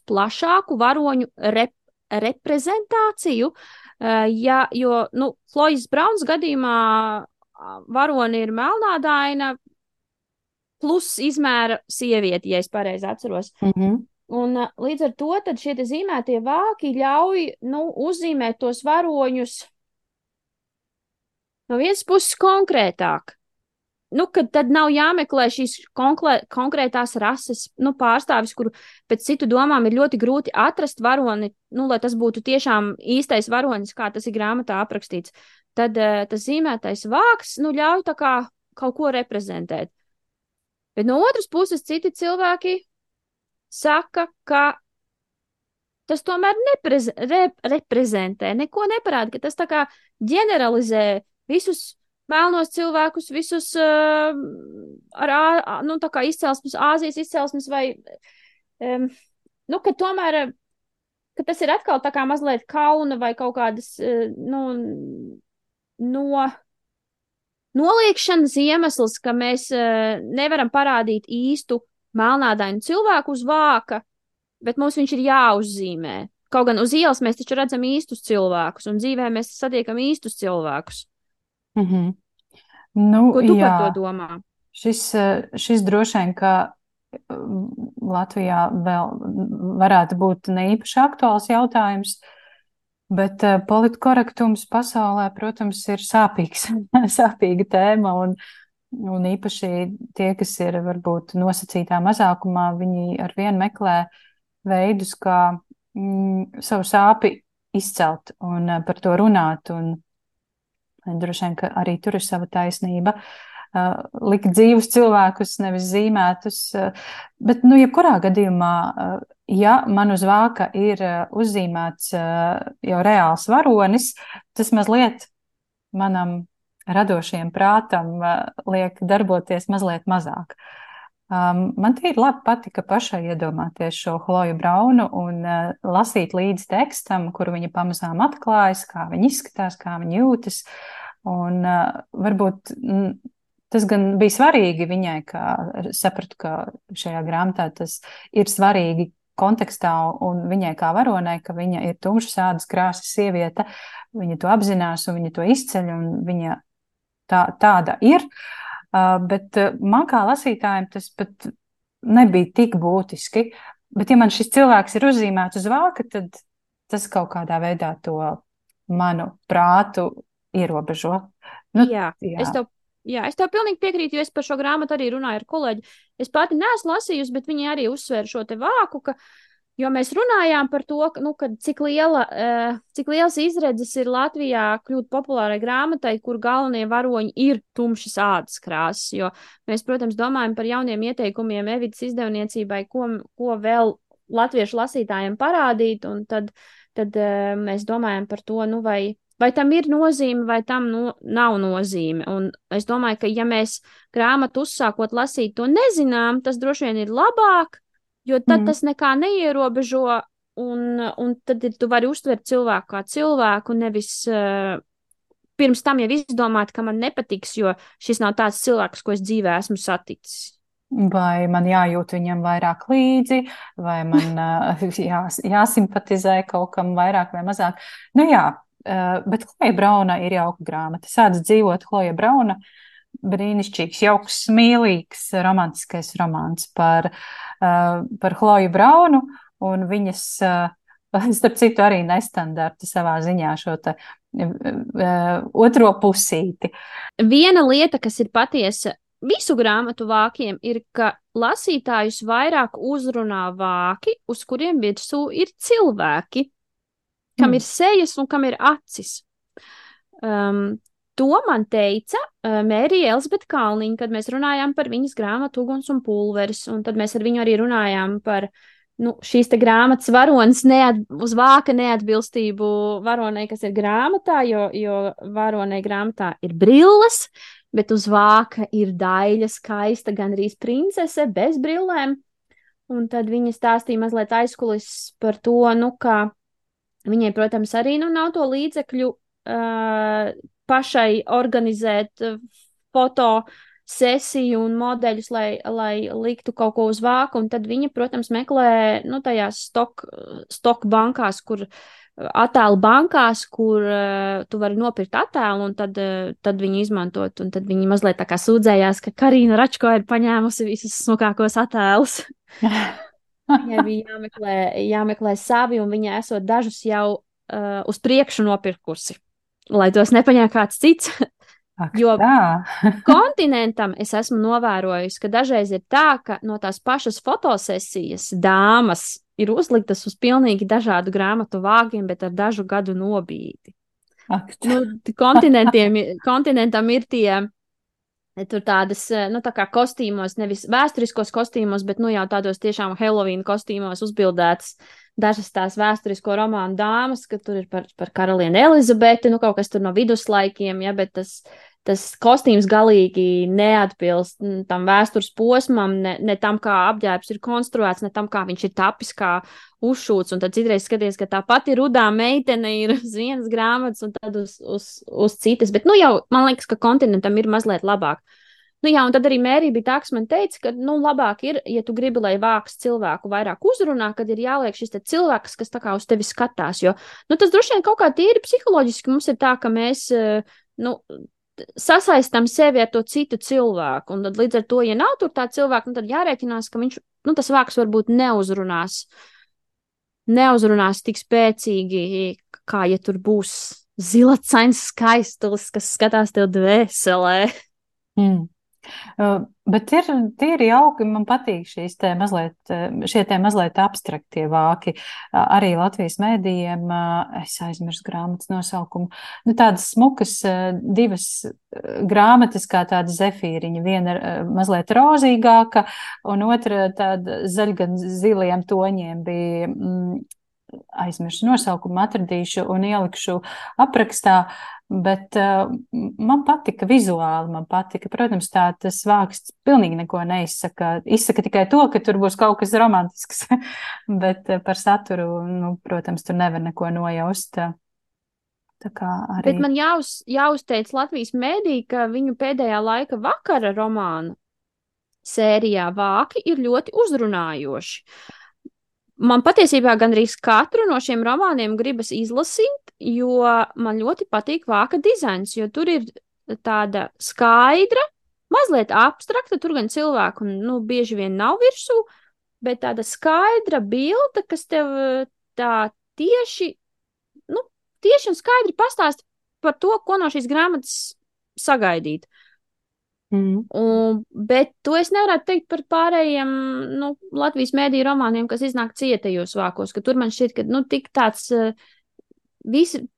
plašāku varoņu reprezentāciju, jo Chlojas Braunas gadījumā varoni ir melnādaina plus izmēra sievieti, ja es pareizi atceros. Un līdz ar to tad šie zīmētie vāki ļauj uzzīmēt tos varoņus no vienas puses konkrētāk. Kad tad nav jāmeklē šīs konkrētās rases pārstāvis, kuru pēc citu domām ir ļoti grūti atrast varoni, lai tas būtu tiešām īstais varonis, kā tas ir grāmatā aprakstīts. Tad tas zīmētais vāks ļauj tā kā kaut ko reprezentēt. Bet no otras puses citi cilvēki saka, ka tas tomēr reprezentē, neko neparāda, ka tas tā kā ģeneralizē visus melnos cilvēkus, visus tā kā izcelsmes, Āzijas izcelsmes vai, ka tomēr, ka tas ir atkal tā kā mazliet kauna vai kaut kādas, noliekšanas iemesls, ka mēs nevaram parādīt īstu melnādainu cilvēku uz vāka, bet mums viņš ir jāuzzīmē. Kaut gan uz ielas mēs taču redzam īstus cilvēkus, un dzīvē mēs satiekam īstus cilvēkus. Ko tu par to domā? Šis droši vien, ka Latvijā vēl varētu būt ne īpaši aktuāls jautājums, bet politkorektums pasaulē, protams, ir sāpīga tēma, un īpaši tie, kas ir varbūt nosacītā mazākumā, viņi arvien meklē veidus, kā savu sāpi izcelt un par to runāt, un droši vien, ka arī tur ir sava taisnība. Likt dzīvus cilvēkus, nevis zīmētus. Bet, jebkurā gadījumā, ja man uz vāka ir uzzīmēts jau reāls varonis, tas mazliet manam radošajam prātam liek darboties mazliet mazāk. Man tīri labi patika pašai iedomāties šo Chloju Braunu un lasīt līdz tekstam, kuru viņa pamazām atklājas, kā viņa izskatās, kā viņa jūtas. Un varbūt tas gan bija svarīgi viņai, ka sapratu, ka šajā grāmatā tas ir svarīgi kontekstā un viņai kā varonai, ka viņa ir tumšas ādas krāsas sieviete, viņa to apzinās un viņa to izceļ un viņa tāda ir. Bet man kā lasītājiem tas pat nebija tik būtiski. Bet ja man šis cilvēks ir uzzīmēts uz vāka, tad tas kaut kādā veidā to manu prātu ierobežo. Jā. Es tev pilnīgi piekrītu, jo es par šo grāmatu arī runāju ar kolēģi. Es pati neesmu lasījusi, bet viņi arī uzsvēra šo te vāku, jo mēs runājām par to, cik liels izredzes ir Latvijā kļūt populārai grāmatai, kur galvenie varoņi ir tumšas ādas krāsas, jo mēs, protams, domājam par jauniem ieteikumiem Evitas izdevniecībai, ko vēl latviešu lasītājiem parādīt, un tad mēs domājam par to, vai tam ir nozīme, vai tam nav nozīme. Un es domāju, ka ja mēs grāmatu uzsākot lasīt to nezinām, tas droši vien ir labāk, jo tad tas nekā neierobežo, un tad tu vari uztvert cilvēku kā cilvēku, nevis pirms tam jau izdomāt, ka man nepatiks, jo šis nav tāds cilvēks, ko es dzīvē esmu saticis. Vai man jājūt viņam vairāk līdzi, vai man jāsimpatizē kaut kam vairāk vai mazāk. Bet Chloja Brauna ir jauka grāmata. Sāc dzīvot Chloja Brauna, brīnišķīgs, jauks, mīlīgs, romantiskais romāns par Chloju Braunu un viņas, starp citu, arī nestandarta savā ziņā šo te otro pusīti. Viena lieta, kas ir patiesa visu grāmatu vākiem, ir, ka lasītājus vairāk uzrunā vāki, uz kuriem virsū ir cilvēki, kam ir sejas un kam ir acis. To man teica Mērija Elzbeta Kalniņa, kad mēs runājām par viņas grāmatu Uguns un pulveris, un tad mēs ar viņu arī runājām par šīs te grāmatas varonas uz vāka neatbilstību varonei, kas ir grāmatā, jo varonei grāmatā ir brilles, bet uz vāka ir daļa skaista, gandrīz princese, bez brillēm. Un tad viņa stāstīja mazliet aizkulis par to, kā viņai, protams, arī nav to līdzekļu pašai organizēt fotosesiju un modeļus, lai liktu kaut ko uz vāku, un tad viņa, protams, meklē tajās stock bankās, attēlu bankās, kur tu vari nopirkt attēlu, un tad viņu izmantot, un tad viņi mazliet tā kā sūdzējās, ka Karina Račko ir paņēmusi visus smukākos attēlus. Viņai bija jāmeklē savi, un viņa esot dažus jau uz priekšu nopirkusi, lai tos nepaņēma kāds cits. Jo kontinentam es esmu novērojusi, ka dažreiz ir tā, ka no tās pašas fotosesijas dāmas ir uzliktas uz pilnīgi dažādu grāmatu vāgiem, bet ar dažu gadu nobīdi. Kontinentam ir tie tur tādas, tā kā kostīmos, nevis vēsturiskos kostīmos, bet jau tādos tiešām Halloween kostīmos uzbildētas dažas tās vēsturisko romānu dāmas, ka tur ir par karalieni Elizabeti, kaut kas tur no viduslaikiem, bet tas kostīms galīgi neatbilst tam vēstures posmam, ne tam, kā apģērbs ir konstruēts, ne tam, kā viņš ir tapis, kā uzšūts, un tad citreiz skaties, ka tā pati rudā meitene ir uz vienas grāmatas un tad uz citas, bet man liekas, ka kontinentam ir mazliet labāk. Un tad arī Mērija bija tā, kas man teica, ka, labāk ir, ja tu gribi, lai vāks cilvēku vairāk uzrunā, kad ir jāliek šis te cilvēks, kas tā kā uz tevi skatās, jo, tas droši vien kaut kā tīri psiholoģiski mums ir tā, ka mēs, sasaistam sevi ar to citu cilvēku, un tad līdz ar to, ja nav tur tā cilvēka, tad jārēķinās, ka viņš, tas vāks varbūt neuzrunās tik spēcīgi, kā ja tur būs zilacains skaistulis, kas skatās tev dvēselē. Bet ir jauki, man patīk šie mazliet abstraktie vāki. Arī Latvijas mēdījiem, es aizmirsu grāmatas nosaukumu, tādas smukas divas grāmatas kā tāda zefīriņa, viena mazliet rozīgāka un otra tāda zaļgan ziliem toņiem bija aizmirsu nosaukumu, atradīšu un ielikšu aprakstā, bet man patika vizuāli, man patika, protams, tas vāksts pilnīgi neko neizsaka, izsaka tikai to, ka tur būs kaut kas romantisks, bet par saturu, nu, protams, tur nevar neko nojaust. Tā kā arī. Bet man jāuzteic Latvijas mēdī, ka viņu pēdējā laika vakara romāna sērijā vāki ir ļoti uzrunājoši. Man patiesībā gandrīz katru no šiem romāniem gribas izlasīt, jo man ļoti patīk vāka dizains, jo tur ir tāda skaidra, mazliet abstrakta, tur gan cilvēku, nu, bieži vien nav virsū, bet tāda skaidra bilde, kas tev tā tieši un skaidri pastāst par to, ko no šīs grāmatas sagaidīt. Bet to es nevarētu teikt par pārējiem Latvijas mēdīju romāniem, kas iznāk cietajos vākos, ka tur man šķiet, ka tik tāds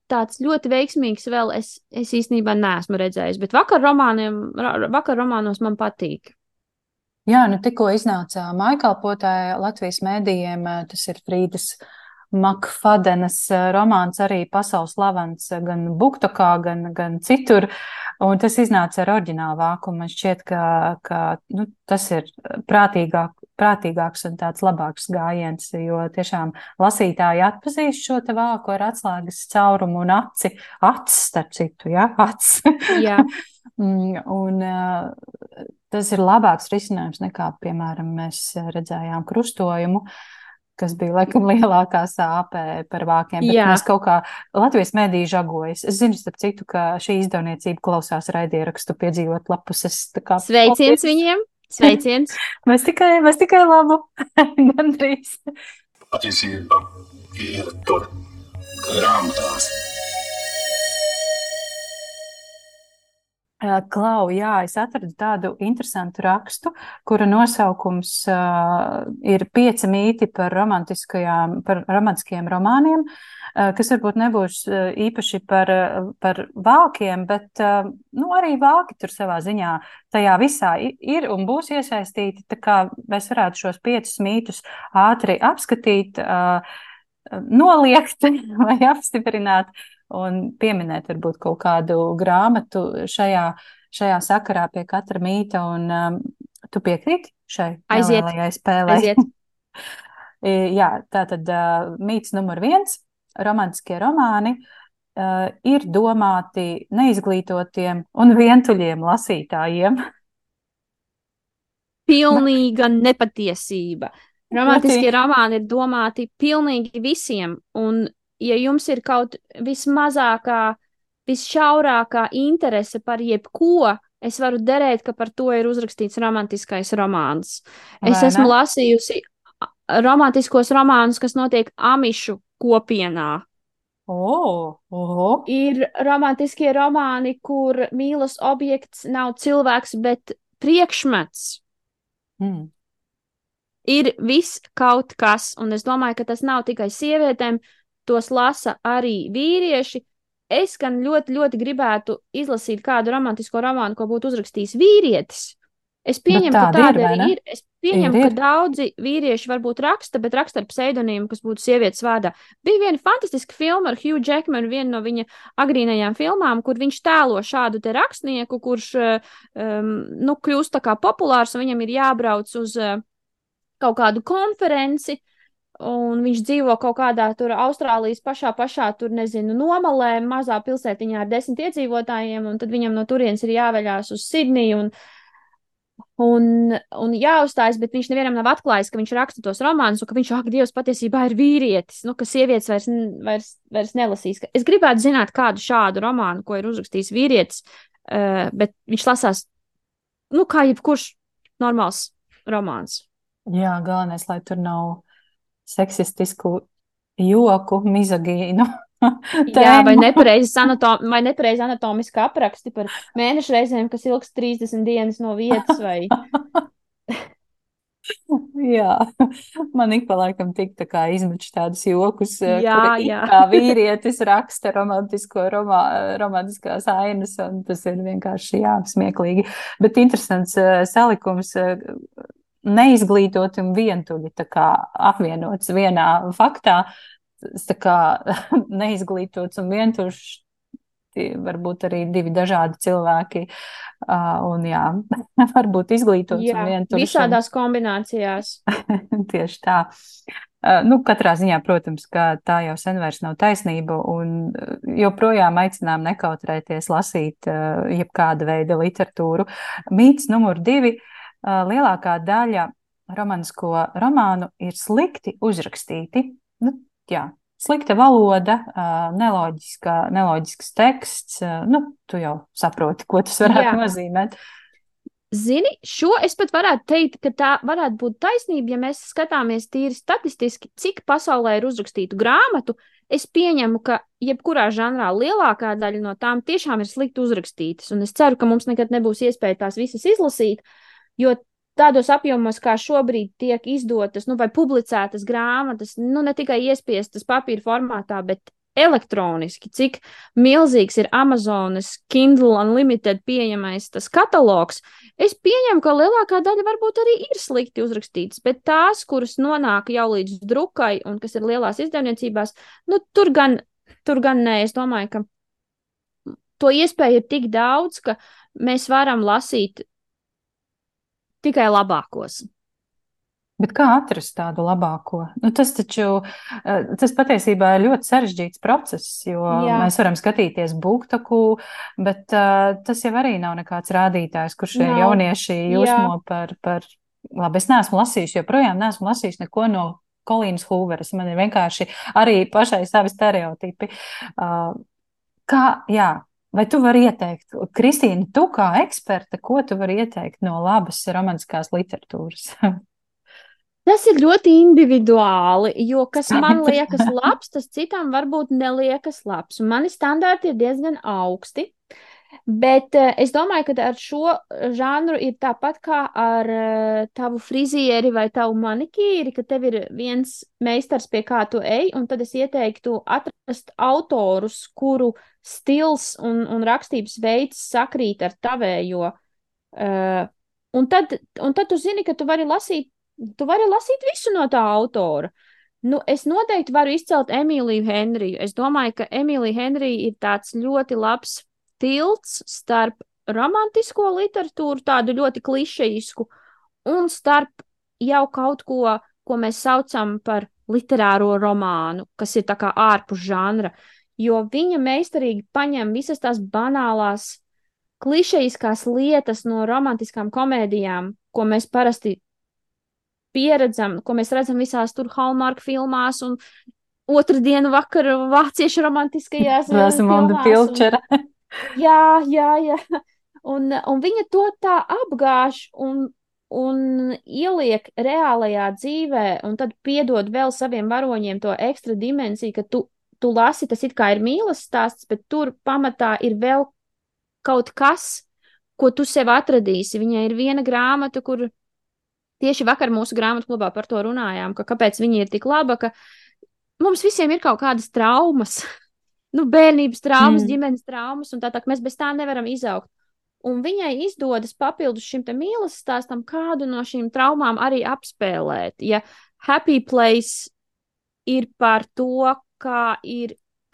tāds ļoti veiksmīgs vēl es īstenībā neesmu redzējis, bet vakar romānos man patīk. Jā, tikko iznāca mājkalpotāja Latvijas mēdījiem, tas ir Frīdas Makfadenas romāns, arī pasaules slavens gan Buktokā, gan citur, un tas iznāca ar oriģinālu vākumu. Man šķiet, ka tas ir prātīgāks un tāds labāks gājiens, jo tiešām lasītāji atpazīst šo te vāku ar atslēgas caurumu un acis, starp citu, ja? Acis. Jā. Un tas ir labāks risinājums nekā, piemēram, mēs redzējām Krustojumu, kas bija laikam lielākā sāpe par vākiem, bet mēs kaut kā Latvijas mēdī žagojas. Es zinu, starp citu, ka šī izdevniecība klausās raidierakstu piedzīvot lapuses. Sveiciens viņiem! Sveiciens! Mēs tikai labu, gandrīz. Patiesība ir tur grāmatās. Klau, jā, es atradu tādu interesantu rakstu, kura nosaukums ir 5 mīti par romantiskajiem romāniem, kas varbūt nebūs īpaši par vākiem, bet arī vāki tur savā ziņā tajā visā ir un būs iesaistīti, tā kā mēs varētu šos 5 mītus ātri apskatīt, noliegt vai apstiprināt un pieminēt varbūt kaut kādu grāmatu šajā sakarā pie katra mīta, un tu piekrīti šai nelielajai spēlei? Aiziet. Jā, tātad mīts numur 1, romantiskie romāni ir domāti neizglītotiem un vientuļiem lasītājiem. Pilnīga nepatiesība. Romantiskie romāni ir domāti pilnīgi visiem, un ja jums ir kaut vismazākā, visšaurākā interese par jebko, es varu derēt, ka par to ir uzrakstīts romantiskais romāns. Es esmu lasījusi romantiskos romānus, kas notiek amišu kopienā. Ir romantiskie romāni, kur mīlas objekts nav cilvēks, bet priekšmets. Ir viss kaut kas, un es domāju, ka tas nav tikai sievietēm, tos lasa arī vīrieši. Es gan ļoti, ļoti gribētu izlasīt kādu romantisko romānu, ko būtu uzrakstījis vīrietis. Es pieņemu, ka tāda arī ir. Es pieņemu, ka daudzi vīrieši varbūt raksta, bet raksta ar pseidonīmu, kas būtu sievietes vārdā. Bija viena fantastiska filma ar Hugh Jackmanu, viena no viņa agrīnajām filmām, kur viņš tēlo šādu te rakstnieku, kurš kļūst tā kā populārs, un viņam ir jābrauc uz kaut kādu konferenci, un viņš dzīvo kaut kādā tur Austrālijas pašā tur, nezinu, nomalē, mazā pilsētiņā ar 10 iedzīvotājiem, un tad viņam no turienes ir jāveļās uz Sidniju un jāuzstājas, bet viņš nevienam nav atklājis, ka viņš raksta tos romānus, un ka viņš, Dievs, patiesībā ir vīrietis, ka sievietes vairs nelasīs. Es gribētu zināt kādu šādu romānu, ko ir uzrakstījis vīrietis, bet viņš lasās, kā jebkurš normāls romāns. Jā, galvenais, lai tur nav seksistisku joku, mizogīnu. Jā, vai nepareizi anatomiski apraksti par mēnešu reizēm, kas ilgs 30 dienas no vietas, vai... Jā, man ik pa laikam tik tā kā izmuč tādus jokus, jā. Kā vīrietis raksta romantiskās ainas, un tas ir vienkārši, smieklīgi. Bet interesants salikums, neizglītoti un vientuļi tā kā apvienots vienā faktā. tā kā neizglītots un vientuļš, varbūt arī divi dažādi cilvēki, un jā, varbūt izglītots un Jā, vientuļš. visādās kombinācijās. Tieši tā. Nu, katrā ziņā, protams, ka tā jau sen vairs nav taisnība, un joprojām aicinām nekautrēties lasīt jebkāda veida literatūru. Mīts numur 2. Lielākā daļa romantisko romānu ir slikti uzrakstīti. Nu, jā, slikta valoda, neloģisks teksts. Nu, tu jau saproti, ko tas varētu nozīmēt. Zini, šo es pat varētu teikt, ka tā varētu būt taisnība, ja mēs skatāmies tīri statistiski, cik pasaulē ir uzrakstītu grāmatu. Es pieņemu, ka jebkurā žanrā lielākā daļa no tām tiešām ir slikti uzrakstītas, un es ceru, ka mums nekad nebūs iespēja tās visas izlasīt, jo tādos apjomos, kā šobrīd tiek izdotas, nu, vai publicētas grāmatas, nu, ne tikai iespiestas papīra formātā, bet elektroniski, cik milzīgs ir Amazonas Kindle Unlimited pieejamais tas katalogs. Es pieņemu, ka lielākā daļa varbūt arī ir slikti uzrakstītas, bet tās, kuras nonāk jau līdz drukai un kas ir lielās izdevniecībās, nu, tur gan nē, es domāju, ka to iespēju ir tik daudz, ka mēs varam lasīt tikai labākos. Bet kā atrast tādu labāko? Nu, tas patiesībā ir ļoti sarežģīts process, jo mēs varam skatīties BookToku, bet tas jau arī nav nekāds rādītājs, kur šie jaunieši jūsmo par, labi, es neesmu lasījusi, joprojām neesmu lasījusi neko no Kolīnas Hūveras, man ir vienkārši arī pašai savi stereotipi. Vai tu vari ieteikt, Kristīna, tu kā eksperte, ko tu vari ieteikt no labas romantiskās literatūras? Tas ir ļoti individuāli, jo kas man liekas labs, tas citam varbūt neliekas labs. Un mani standarti ir diezgan augsti, bet es domāju, ka ar šo žanru ir tāpat kā ar tavu frizieri vai tavu manikīri, ka tev ir viens meistars, pie kā tu ej, un tad es ieteiktu atrast autorus, kuru stils un rakstības veids sakrīt ar tavējo. Un tad tu zini, ka tu vari lasīt visu no tā autora. Nu, es noteikti varu izcelt Emīliju Henriju. Es domāju, ka Emīlija Henrija ir tāds ļoti labs tilts starp romantisko literatūru, tādu ļoti klišejisku, un starp jau kaut ko mēs saucam par literāro romānu, kas ir tā kā ārpus žanra, jo viņa meistarīgi paņem visas tās banālās, klišejiskās lietas no romantiskām komēdijām, ko mēs parasti pieredzam, ko mēs redzam visās tur Hallmark filmās un otrdienu vakaru vāciešu romantiskajās filmās. Jā. Un viņa to tā apgāž un ieliek reālajā dzīvē, un tad piedod vēl saviem varoņiem to ekstra dimensiju, ka tu lasi, tas it kā ir mīlas stāsts, bet tur pamatā ir vēl kaut kas, ko tu sev atradīsi. Viņai ir viena grāmata, kur tieši vakar mūsu grāmatu klubā par to runājām, ka kāpēc viņa ir tik laba, ka mums visiem ir kaut kādas traumas, nu, bērnības traumas, ģimenes traumas, un tā mēs bez tā nevaram izaugt. Un viņai izdodas papildus šim te mīlas stāstam kādu no šīm traumām arī apspēlēt. Ja Happy Place ir par to, ka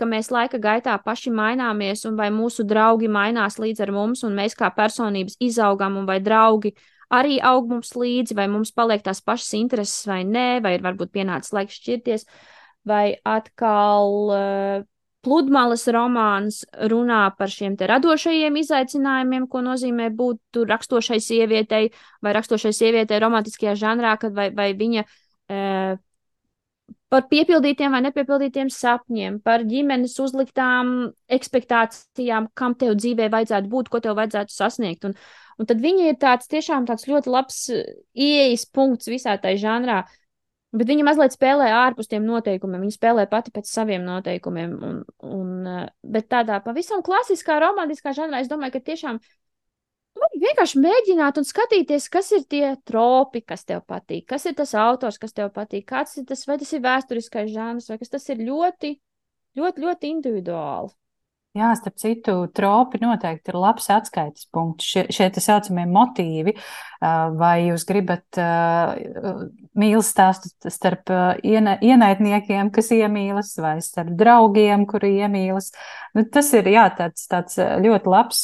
mēs laika gaitā paši maināmies, un vai mūsu draugi mainās līdz ar mums, un mēs kā personības izaugam, un vai draugi arī aug mums līdzi, vai mums paliek tās pašas intereses vai nē, vai ir varbūt pienācis laiks šķirties, vai atkal Pludmales romāns runā par šiem te radošajiem izaicinājumiem, ko nozīmē būt rakstošai sievietei, vai rakstošai sievietei romantiskajā žanrā, kad vai viņa par piepildītiem vai nepiepildītiem sapņiem, par ģimenes uzliktām ekspektācijām, kam tev dzīvē vajadzētu būt, ko tev vajadzētu sasniegt. Un tad viņa ir tiešām tāds ļoti labs ieejas punkts visā tai žanrā, bet viņa mazliet spēlē ārpus tiem noteikumiem, viņa spēlē pati pēc saviem noteikumiem, bet tādā pavisam klasiskā romantiskā žanrā es domāju, ka tiešām vienkārši mēģināt un skatīties, kas ir tie tropi, kas tev patīk, kas ir tas autors, kas tev patīk, kāds ir tas, vai tas ir vēsturiskais žanrs, vai kas tas ir ļoti, ļoti, ļoti individuāli. Jā, starp citu, tropi noteikti ir labs atskaites punkts. Šie tā saucamie motīvi, vai jūs gribat mīlas stāstu starp ienaidniekiem, kas iemīlas, vai starp draugiem, kuri iemīlas. Nu, tas ir, jā, tāds ļoti labs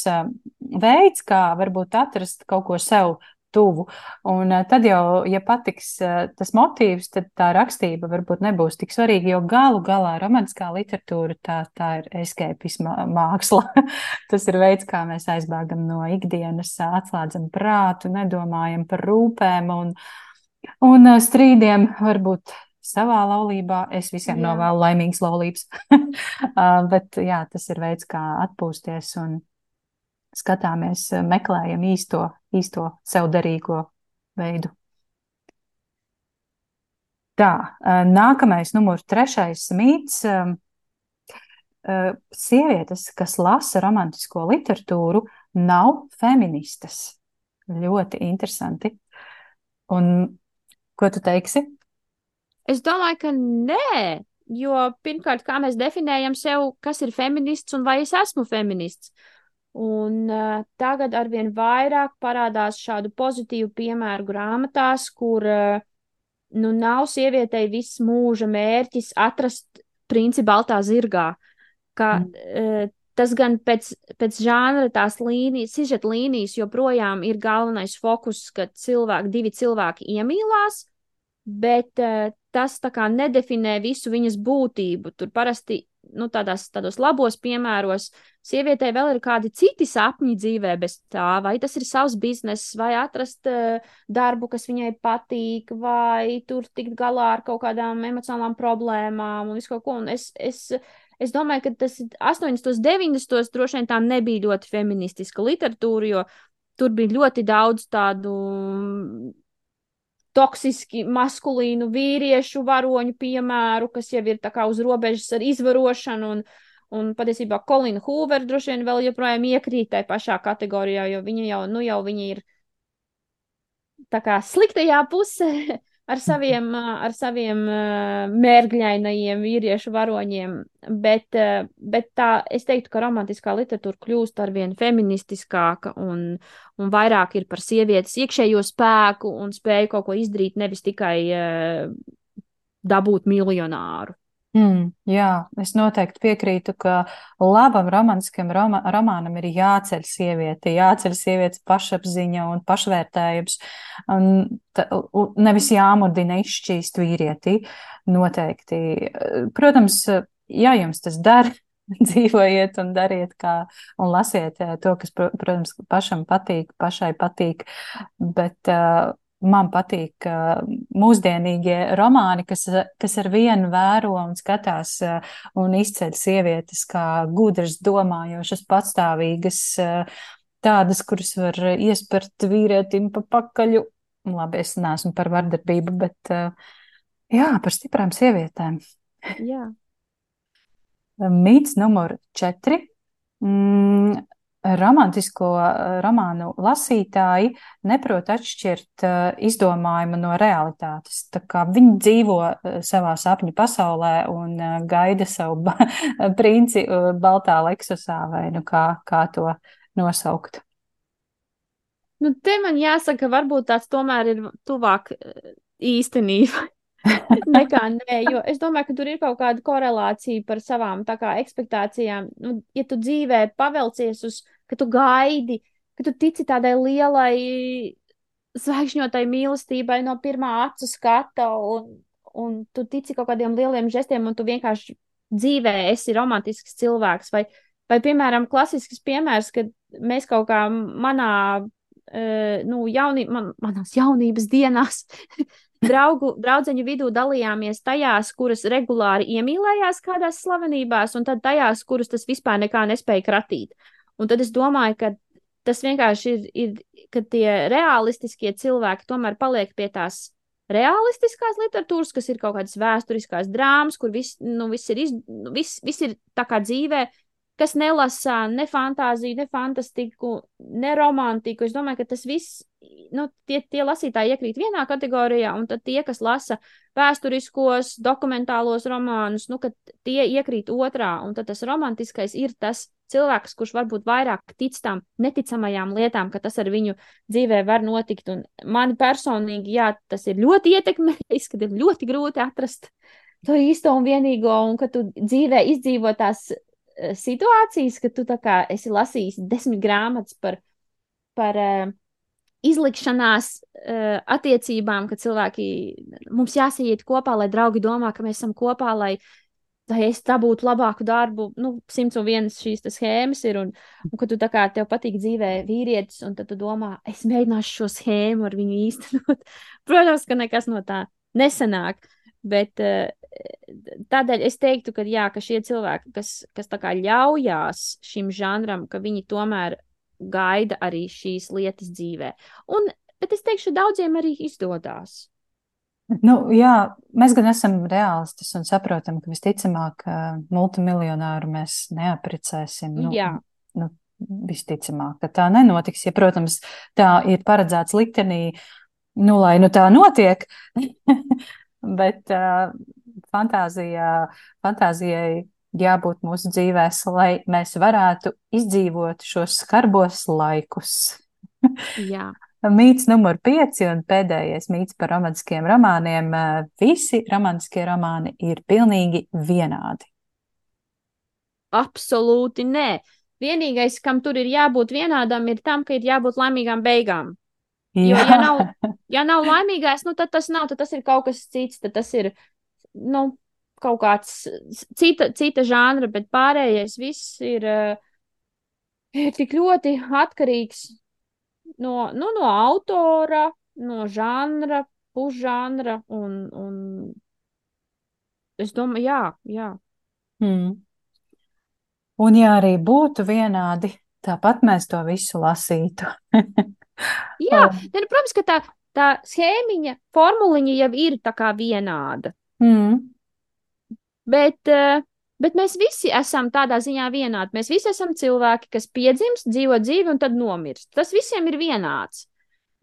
veids, kā varbūt atrast kaut ko sev tuvu. Un tad jau, ja patiks tas motīvs, tad tā rakstība varbūt nebūs tik svarīga, jo galu galā romantiskā literatūra tā ir escapisma māksla. Tas ir veids, kā mēs aizbēgam no ikdienas, atslēdzam prātu, nedomājam par rūpēm un strīdiem varbūt savā laulībā. Es visiem novēlu laimīgas laulības. Bet jā, tas ir veids, kā atpūsties un skatāmies, meklējam īsto sev derīgo veidu. Tā, nākamais numur 3. mīts. Sievietes, kas lasa romantisko literatūru, nav feministas. Ļoti interesanti. Un ko tu teiksi? Es domāju, ka nē, jo pirmkārt, kā mēs definējam sev, kas ir feminists un vai es esmu feminists. Un tagad arvien vairāk parādās šādu pozitīvu piemēru grāmatās, kur nav sievietei viss mūža mērķis atrast princi baltā zirgā. Tas gan pēc žanra tās līnijas, sižeta līnijas joprojām ir galvenais fokus, ka divi cilvēki iemīlās, bet tas tā kā nedefinē visu viņas būtību. Tur parasti tādos labos piemēros sievietei vēl ir kādi citi sapņi dzīvē bez tā, vai tas ir savs bizness, vai atrast darbu, kas viņai patīk, vai tur tikt galā ar kaut kādām emocionālām problēmām un visu kaut ko. Un es domāju, ka tas 80. 90. droši vien tā nebija ļoti feministiska literatūra, jo tur bija ļoti daudz tādu toksiski maskulīnu vīriešu varoņu piemēru, kas jau ir tā kā uz robežas ar izvarošanu, un patiesībā Kolina Hūver droši vien vēl joprojām iekrīt tai pašā kategorijā, jo viņa viņa ir tā kā sliktajā pusē ar saviem mērgļainajiem vīriešu varoņiem, bet tā, es teiktu, ka romantiskā literatūra kļūst arvien feministiskāka un vairāk ir par sievietes iekšējo spēku un spēju kaut ko izdarīt, nevis tikai dabūt miljonāru. Jā, es noteikti piekrītu, ka labam romantiskam romānam ir jāceļ sievietes pašapziņa un pašvērtējums, un nevis jāmudina izšķīst vīrieti, noteikti. Protams, ja jums tas der, dzīvojiet un dariet un lasiet to, kas, protams, pašai patīk, bet man patīk mūsdienīgie romāni, kas ar vienu vēro un skatās un izceļ sievietes kā gudras, domājošas, patstāvīgas, tādas, kuras var iespert vīrietim pa pakaļu. Labi, es neesmu par vardarbību, bet jā, par stiprām sievietēm. Jā. Mīts numur 4. Romantisko romānu lasītāji neprot atšķirt izdomājumu no realitātes. Tā kā viņi dzīvo savā sapņu pasaulē un gaida savu princi baltā leksusā, vai kā to nosaukt. Te man jāsaka, varbūt tāds tomēr ir tuvāk īstenība. Nekā nē, jo es domāju, ka tur ir kaut kāda korelācija par savām tā kā ekspektācijām. Ja tu dzīvē pavelcies ka tu gaidi, ka tu tici tādai lielai zvaigžņotai mīlestībai no pirmā acu skata un tu tici kaut kādiem lieliem žestiem un tu vienkārši dzīvē esi romantisks cilvēks vai piemēram, klasisks piemērs, kad mēs kaut kā manās jaunības dienās draudzeņu vidū dalījāmies tajās, kuras regulāri iemīlējās kādās slavenībās, un tad tajās, kuras tas vispār nekā nespēja kratīt. Un tad es domāju, ka tas vienkārši ir, ka tie realistiskie cilvēki tomēr paliek pie tās realistiskās literatūras, kas ir kaut kādas vēsturiskās drāmas, kur viss ir tā kā dzīvē, kas nelasa ne fantāziju, ne fantastiku, ne romantiku. Es domāju, ka tas viss, tie lasītāji iekrīt vienā kategorijā, un tad tie, kas lasa vēsturiskos, dokumentālos romānus, ka tie iekrīt otrā, un tad tas romantiskais ir tas cilvēks, kurš varbūt vairāk tic tām neticamajām lietām, ka tas ar viņu dzīvē var notikt. Un mani personīgi, jā, tas ir ļoti ietekmējis, kad ir ļoti grūti atrast to īsto un vienīgo, un ka tu dzīvē izdzīvo tās situācijas, ka tu tā kā esi lasījis 10 grāmatas par izlikšanās attiecībām, ka cilvēki mums jāsaiet kopā, lai draugi domā, ka mēs esam kopā, lai es dabūtu labāku darbu. 101 šīs schēmas ir, un ka tu tā kā tev patīk dzīvē vīrietis, un tad tu domā, es mēģināšu šo schēmu ar viņu īstenot. Protams, ka nekas no tā nesanāk. Bet tādēļ es teiktu, ka jā, ka šie cilvēki, kas tā kā ļaujās šim žanram, ka viņi tomēr gaida arī šīs lietas dzīvē. Bet es teikšu, daudziem arī izdodās. Jā, mēs gan esam reālistis un saprotam, ka visticamāk multimiljonāru mēs neaprecēsim. Jā. Visticamāk, ka tā nenotiks. Ja, protams, tā ir paredzēts liktenī, lai tā notiek. Bet fantāzijai jābūt mūsu dzīvēs, lai mēs varētu izdzīvot šos skarbos laikus. Jā. Mīts numur 5 un pēdējais mīts par romantiskiem romāniem. Visi romantiskie romāni ir pilnīgi vienādi. Absolūti nē. Vienīgais, kam tur ir jābūt vienādam, ir tam, ka ir jābūt laimīgām beigām. Jo, ja nav laimīgais, tad tas nav, tad tas ir kaut kas cits, tad tas ir, kaut kāds cita žanra, bet pārējais viss ir tik ļoti atkarīgs no autora, no žanra, pusžanra, un es domāju, jā. Un ja arī būtu vienādi, tāpat mēs to visu lasītu. Jā, protams, ka tā schēmiņa, formuliņa jau ir tā kā vienāda. Bet mēs visi esam tādā ziņā vienādi. Mēs visi esam cilvēki, kas piedzimst, dzīvo dzīvi un tad nomirst. Tas visiem ir vienāds.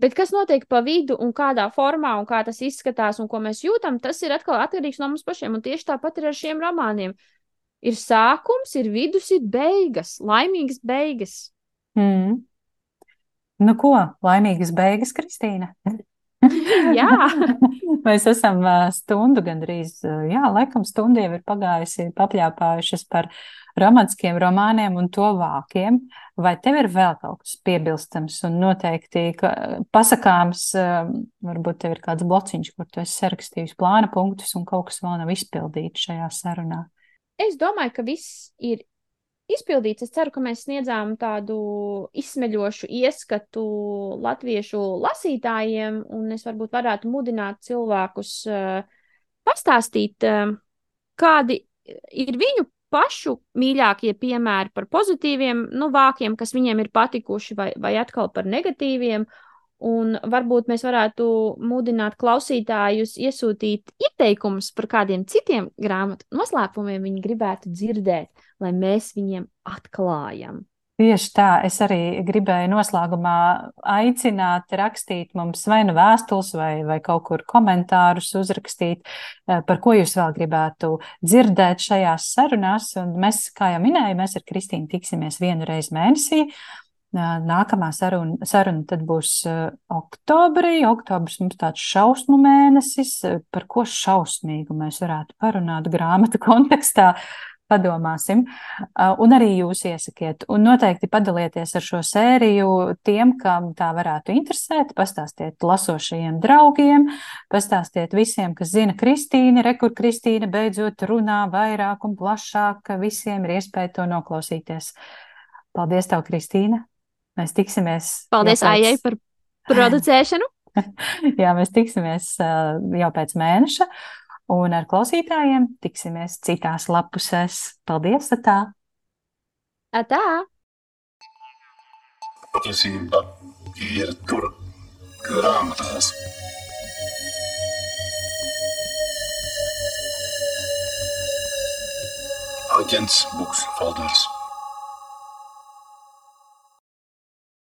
Bet kas notiek pa vidu un kādā formā un kā tas izskatās un ko mēs jūtam, tas ir atkal atkarīgs no mums pašiem. Un tieši tāpat ir ar šiem romāniem. Ir sākums, ir vidus, ir beigas, laimīgas beigas. Ko? Laimīgas beigas, Kristīna? Jā. Mēs esam stundu gandrīz, laikam stundu jau ir pagājusi, papļāpājušas par romantiskiem romāniem un to vākiem. Vai tev ir vēl kaut kas piebilstams un noteikti pasakāms, varbūt tev ir kāds blociņš, kur tu esi sarakstījis plāna punktus un kaut kas vēl nav izpildīts šajā sarunā? Es domāju, ka viss ir izpildīts. Es ceru, ka mēs sniedzām tādu izsmeļošu ieskatu latviešu lasītājiem, un es varbūt varētu mudināt cilvēkus pastāstīt, kādi ir viņu pašu mīļākie piemēri par pozitīviem vākiem, kas viņiem ir patikuši, vai atkal par negatīviem. Un varbūt mēs varētu mudināt klausītājus iesūtīt ieteikumus par kādiem citiem grāmatu noslēpumiem viņi gribētu dzirdēt, lai mēs viņiem atklājam. Tieši tā, es arī gribēju noslēgumā aicināt rakstīt mums vai nu vēstules vai kaut kur komentārus uzrakstīt, par ko jūs vēl gribētu dzirdēt šajās sarunās. Un mēs, kā jau minēju, mēs ar Kristīnu tiksimies 1 reizi mēnesī. Nākamā saruna tad būs oktobrī. Oktobris mums tāds šausmu mēnesis, par ko šausmīgu mēs varētu parunāt grāmatu kontekstā. Padomāsim. Un arī jūs iesakiet. Un noteikti padalieties ar šo sēriju tiem, kam tā varētu interesēt. Pastāstiet lasošajiem draugiem, pastāstiet visiem, kas zina Kristīni, kur Kristīna beidzot runā vairāk un plašāk. Visiem ir iespēja to noklausīties. Paldies tev, Kristīna! Mēs tiksimies. Paldies Aijai par producēšanu. Jā, mēs tiksimies jau pēc mēneša. Un ar klausītājiem tiksimies citās lapusēs. Paldies, atā! Atā! Patiesība ir tur grāmatās. Aģents Buks Folders.